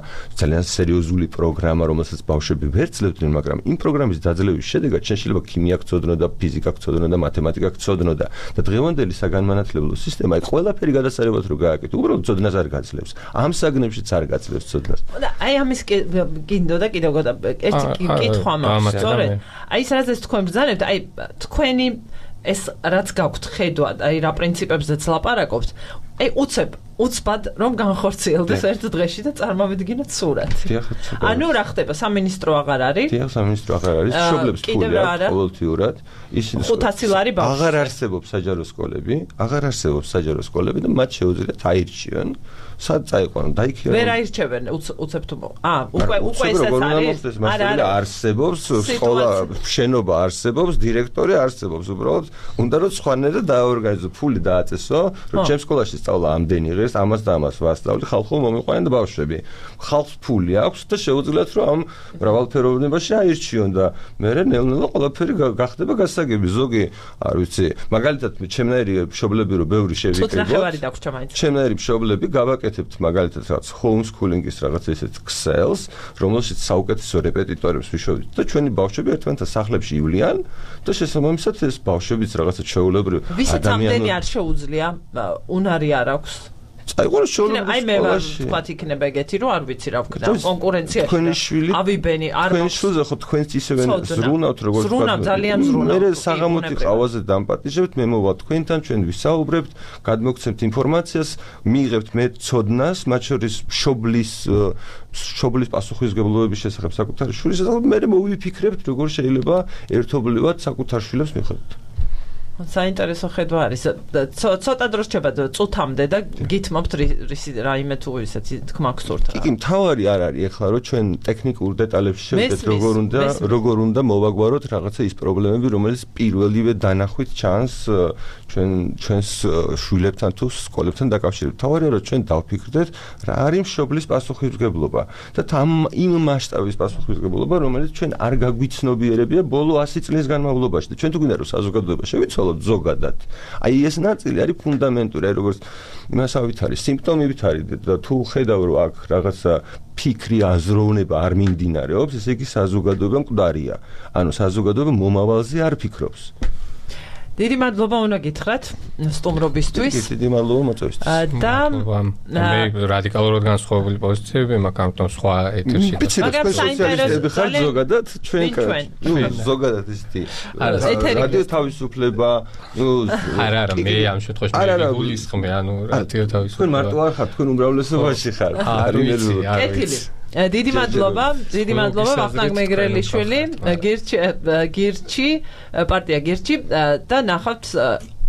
ძალიან სერიოზული პროგრამა, რომელსაც ბავშვები ვერ ცლებდნენ, მაგრამ იმ პროგრამის დაძლევის შედეგად შეიძლება ქიმია გწოდნოდა, ფიზიკა გწოდნოდა და მათემატიკა გწოდნოდა და დღევანდელი საგანმანათლებლო სისტემა ყველაფერი გადასარევად რო გააკეთო, უბრალოდ წოდნას არ გაძლევს. ამ საგნებშიც არ გაძლევს წოდნას. და აი ამის გინდოდა კიდევ ერთი კითხვა მაქვს, სწორედ. აი ეს რაზეც თქვენ ბრძანებთ, აი თქვენი ეს რაც გაქვთ ხედვა, აი რა პრინციპებზეც ლაპარაკობთ, აი უცბად რომ განხორციელდეს ერთ დღეში და წარმოვიდგინოთ სურათი. ანუ რა ხდება, სამინისტრო აღარ არის? დიახ, სამინისტრო აღარ არის, მშობლებს ფული აქვს ყოველთვიურად. ისინი 500 ლარი ბავშვი. აღარ არსებობს საჯარო სკოლები და მათ შეუძლიათ აირჩიონ. სად წაიყვანონ, დაიქირავონ. ვერ აირჩევენ უცებ თუ უკვე ესაც არის. არა, არსებობს სკოლა, შენობა არსებობს, დირექტორი არსებობს, უბრალოდ უნდა რომ სხვანაირად დააორგანიზო, ფული დააწესო, რომ ჩემ სკოლაში სწავლა ამდენი ღირს, ამას და ამას ვასწავლი, ხალხო მომიყვანენ და ბავშვები. ხალხს ფული აქვს და შეუძლიათ რომ ამ მრავალფეროვნებაში აირჩიონ და მერე ნელ-ნელა ყველაფერი გახდება გასაგები. ზოგი, არ ვიცი, მაგალითად ჩემნაირი მშობლები რო ბევრი შევიკრიბოთ. ჩემნაირი მშობლები გავაკეთებთ მაგალითად რაღაც homeschooling-ის რაღაც ესეთ ქსელს, რომელშიც საუკეთესო რეპეტიტორებს ვიშოვით და ჩვენი ბავშვები ერთმანეთთან სახლებში ივლიან და შესაბამისად ეს ბავშვებიც რაღაცა ჩვეულებრივ ვისაც ამდენი არ შეუძლია, უნარი არ აქვს. წაიყვანოს შოულების აი მე ვთქვათ იქნება ეგეთი რომ არ ვიცი რა ვქნა კონკურენციაში თქვენი შვილი ავიბენი არ თქვენი შვილზე ხო თქვენც ისევე ზრუნავთ როგორც ზრუნავ ძალიან ზრუნავ მე საღამოთი ყავაზე დამპატიჟებთ მე მოვა თქვენთან ჩვენ ვისაუბრებთ გადმოგცემთ ინფორმაციას მიიღებთ მე ცოდნას მათ შორის მშობლის პასუხისმგებლობების შესახებ საკუთარი შვილის შესახებ მე მოვიფიქრებთ როგორ შეიძლება ერთობლივად საკუთარ შვილებს მიხვდეთ საინტერესო ხედვა არის. ცოტა დრო რჩება წუთამდე და გითმობთ რაიმე თუ ისეთი თქმა გსურთ რა. კი, მთავარი არ არის ახლა რომ ჩვენ ტექნიკურ დეტალებში შევიდეთ როგორ უნდა მოვაგვაროთ რაღაცა ის პრობლემები, რომელიც პირველივე დანახვით ჩანს ჩვენს შვილებთან თუ სკოლებთან დაკავშირებით. მთავარია რომ ჩვენ დავფიქრდეთ რა არის მშობლის პასუხისმგებლობა და იმ მასშტაბის პასუხისმგებლობა, რომელიც ჩვენ არ გაგვიცნობიერებია ბოლო 100 წლის განმავლობაში და ჩვენ თუ გვინდა რომ საზოგადოება შევიცვალოთ ზოგადად. აი ეს ნაწილი არის ფუნდამენტური, აი როგორც იმასავით არის, სიმპტომებით არის და თუ ხედავ რომ აქ რაღაცა ფიქრი აზროვნება არ მიმდინარეობს, ესე იგი საზოგადოება მკვდარია. ანუ საზოგადოება მომავალზე არ ფიქრობს. დიდი მადლობა უნდა გითხრათ სტუმრობისთვის. დიდი მადლობა მოწვევისთვის. და მე რადიკალურად განსხვავებული პოზიციები მაქვს, ამიტომ სხვა ეთერში. მაგრამ საინტერესო ხარ ზოგადად ჩვენ ზოგადად ისეთი რადიო თავისუფლება, არა, მე ამ შემთხვევაში მე გულისხმე, რადიო თავისუფლება. თქვენ მარტო არ ხართ, თქვენ უმრავლესობაში ხარ. კეთილი. დიდი მადლობა ვახტანგ მეგრელიშვილი, გირჩი, პარტია გირჩი და ნახავთ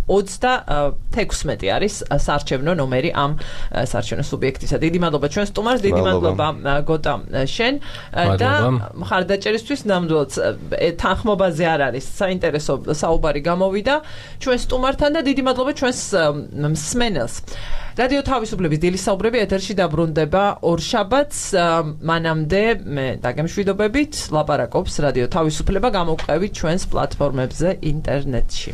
36 არის საარჩევნო ნომერი ამ საარჩევნო სუბიექტისა. დიდი მადლობა ჩვენ სტუმარს, დიდი მადლობა გოტა შენ და მხარდაჭერისთვის ნამდვილად თანხმობაზე არ არის საინტერესო საუბარი გამოვიდა ჩვენ სტუმართან და დიდი მადლობა ჩვენს მსმენელს. რადიო თავისუფლების დილის საუბრები ეთერში დაბრუნდება ორშაბათს, მანამდე მე დაგემშვიდობებით, ლაპარაკობს რადიო თავისუფლება, გამოვყევით ჩვენს პლატფორმებზე ინტერნეტში.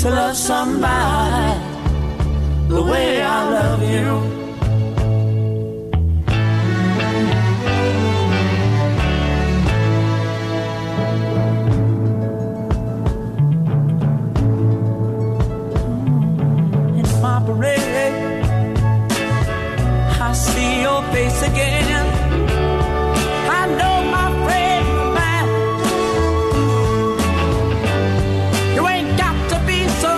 To love somebody the way I love you. In my parade, I see your face again. I know my friend of mine. You ain't got to be so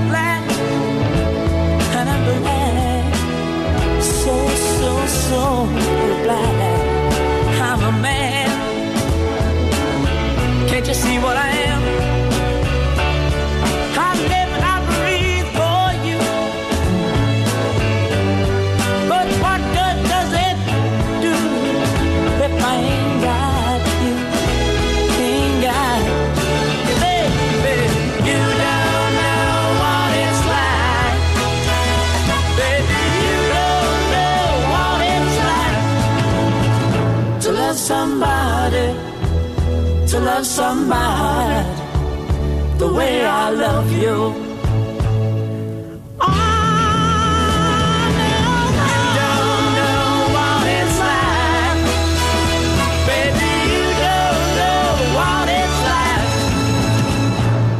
glad, and I'm glad, so glad I'm a man. Can't you see what I am? I live and I breathe for you. But what good does it do if I ain't got you? Ain't got you, baby. You don't know what it's like, baby. You don't know what it's like to love somebody, to love somebody the way I love you.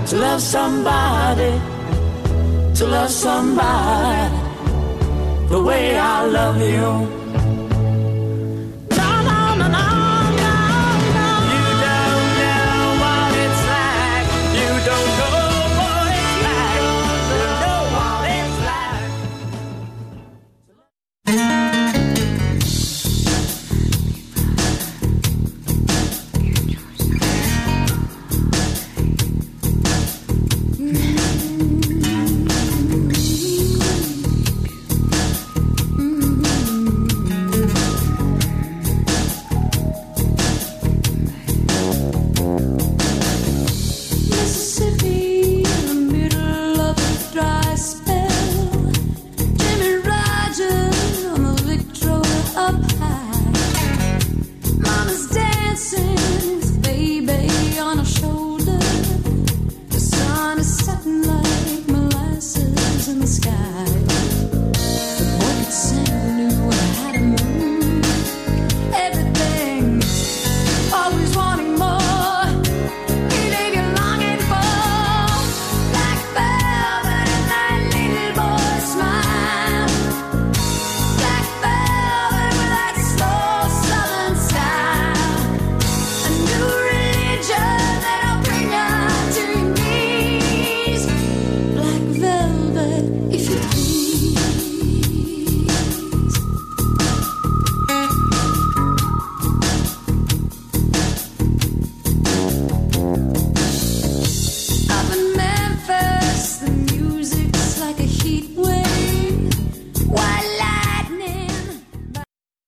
To love somebody, to love somebody the way I love you.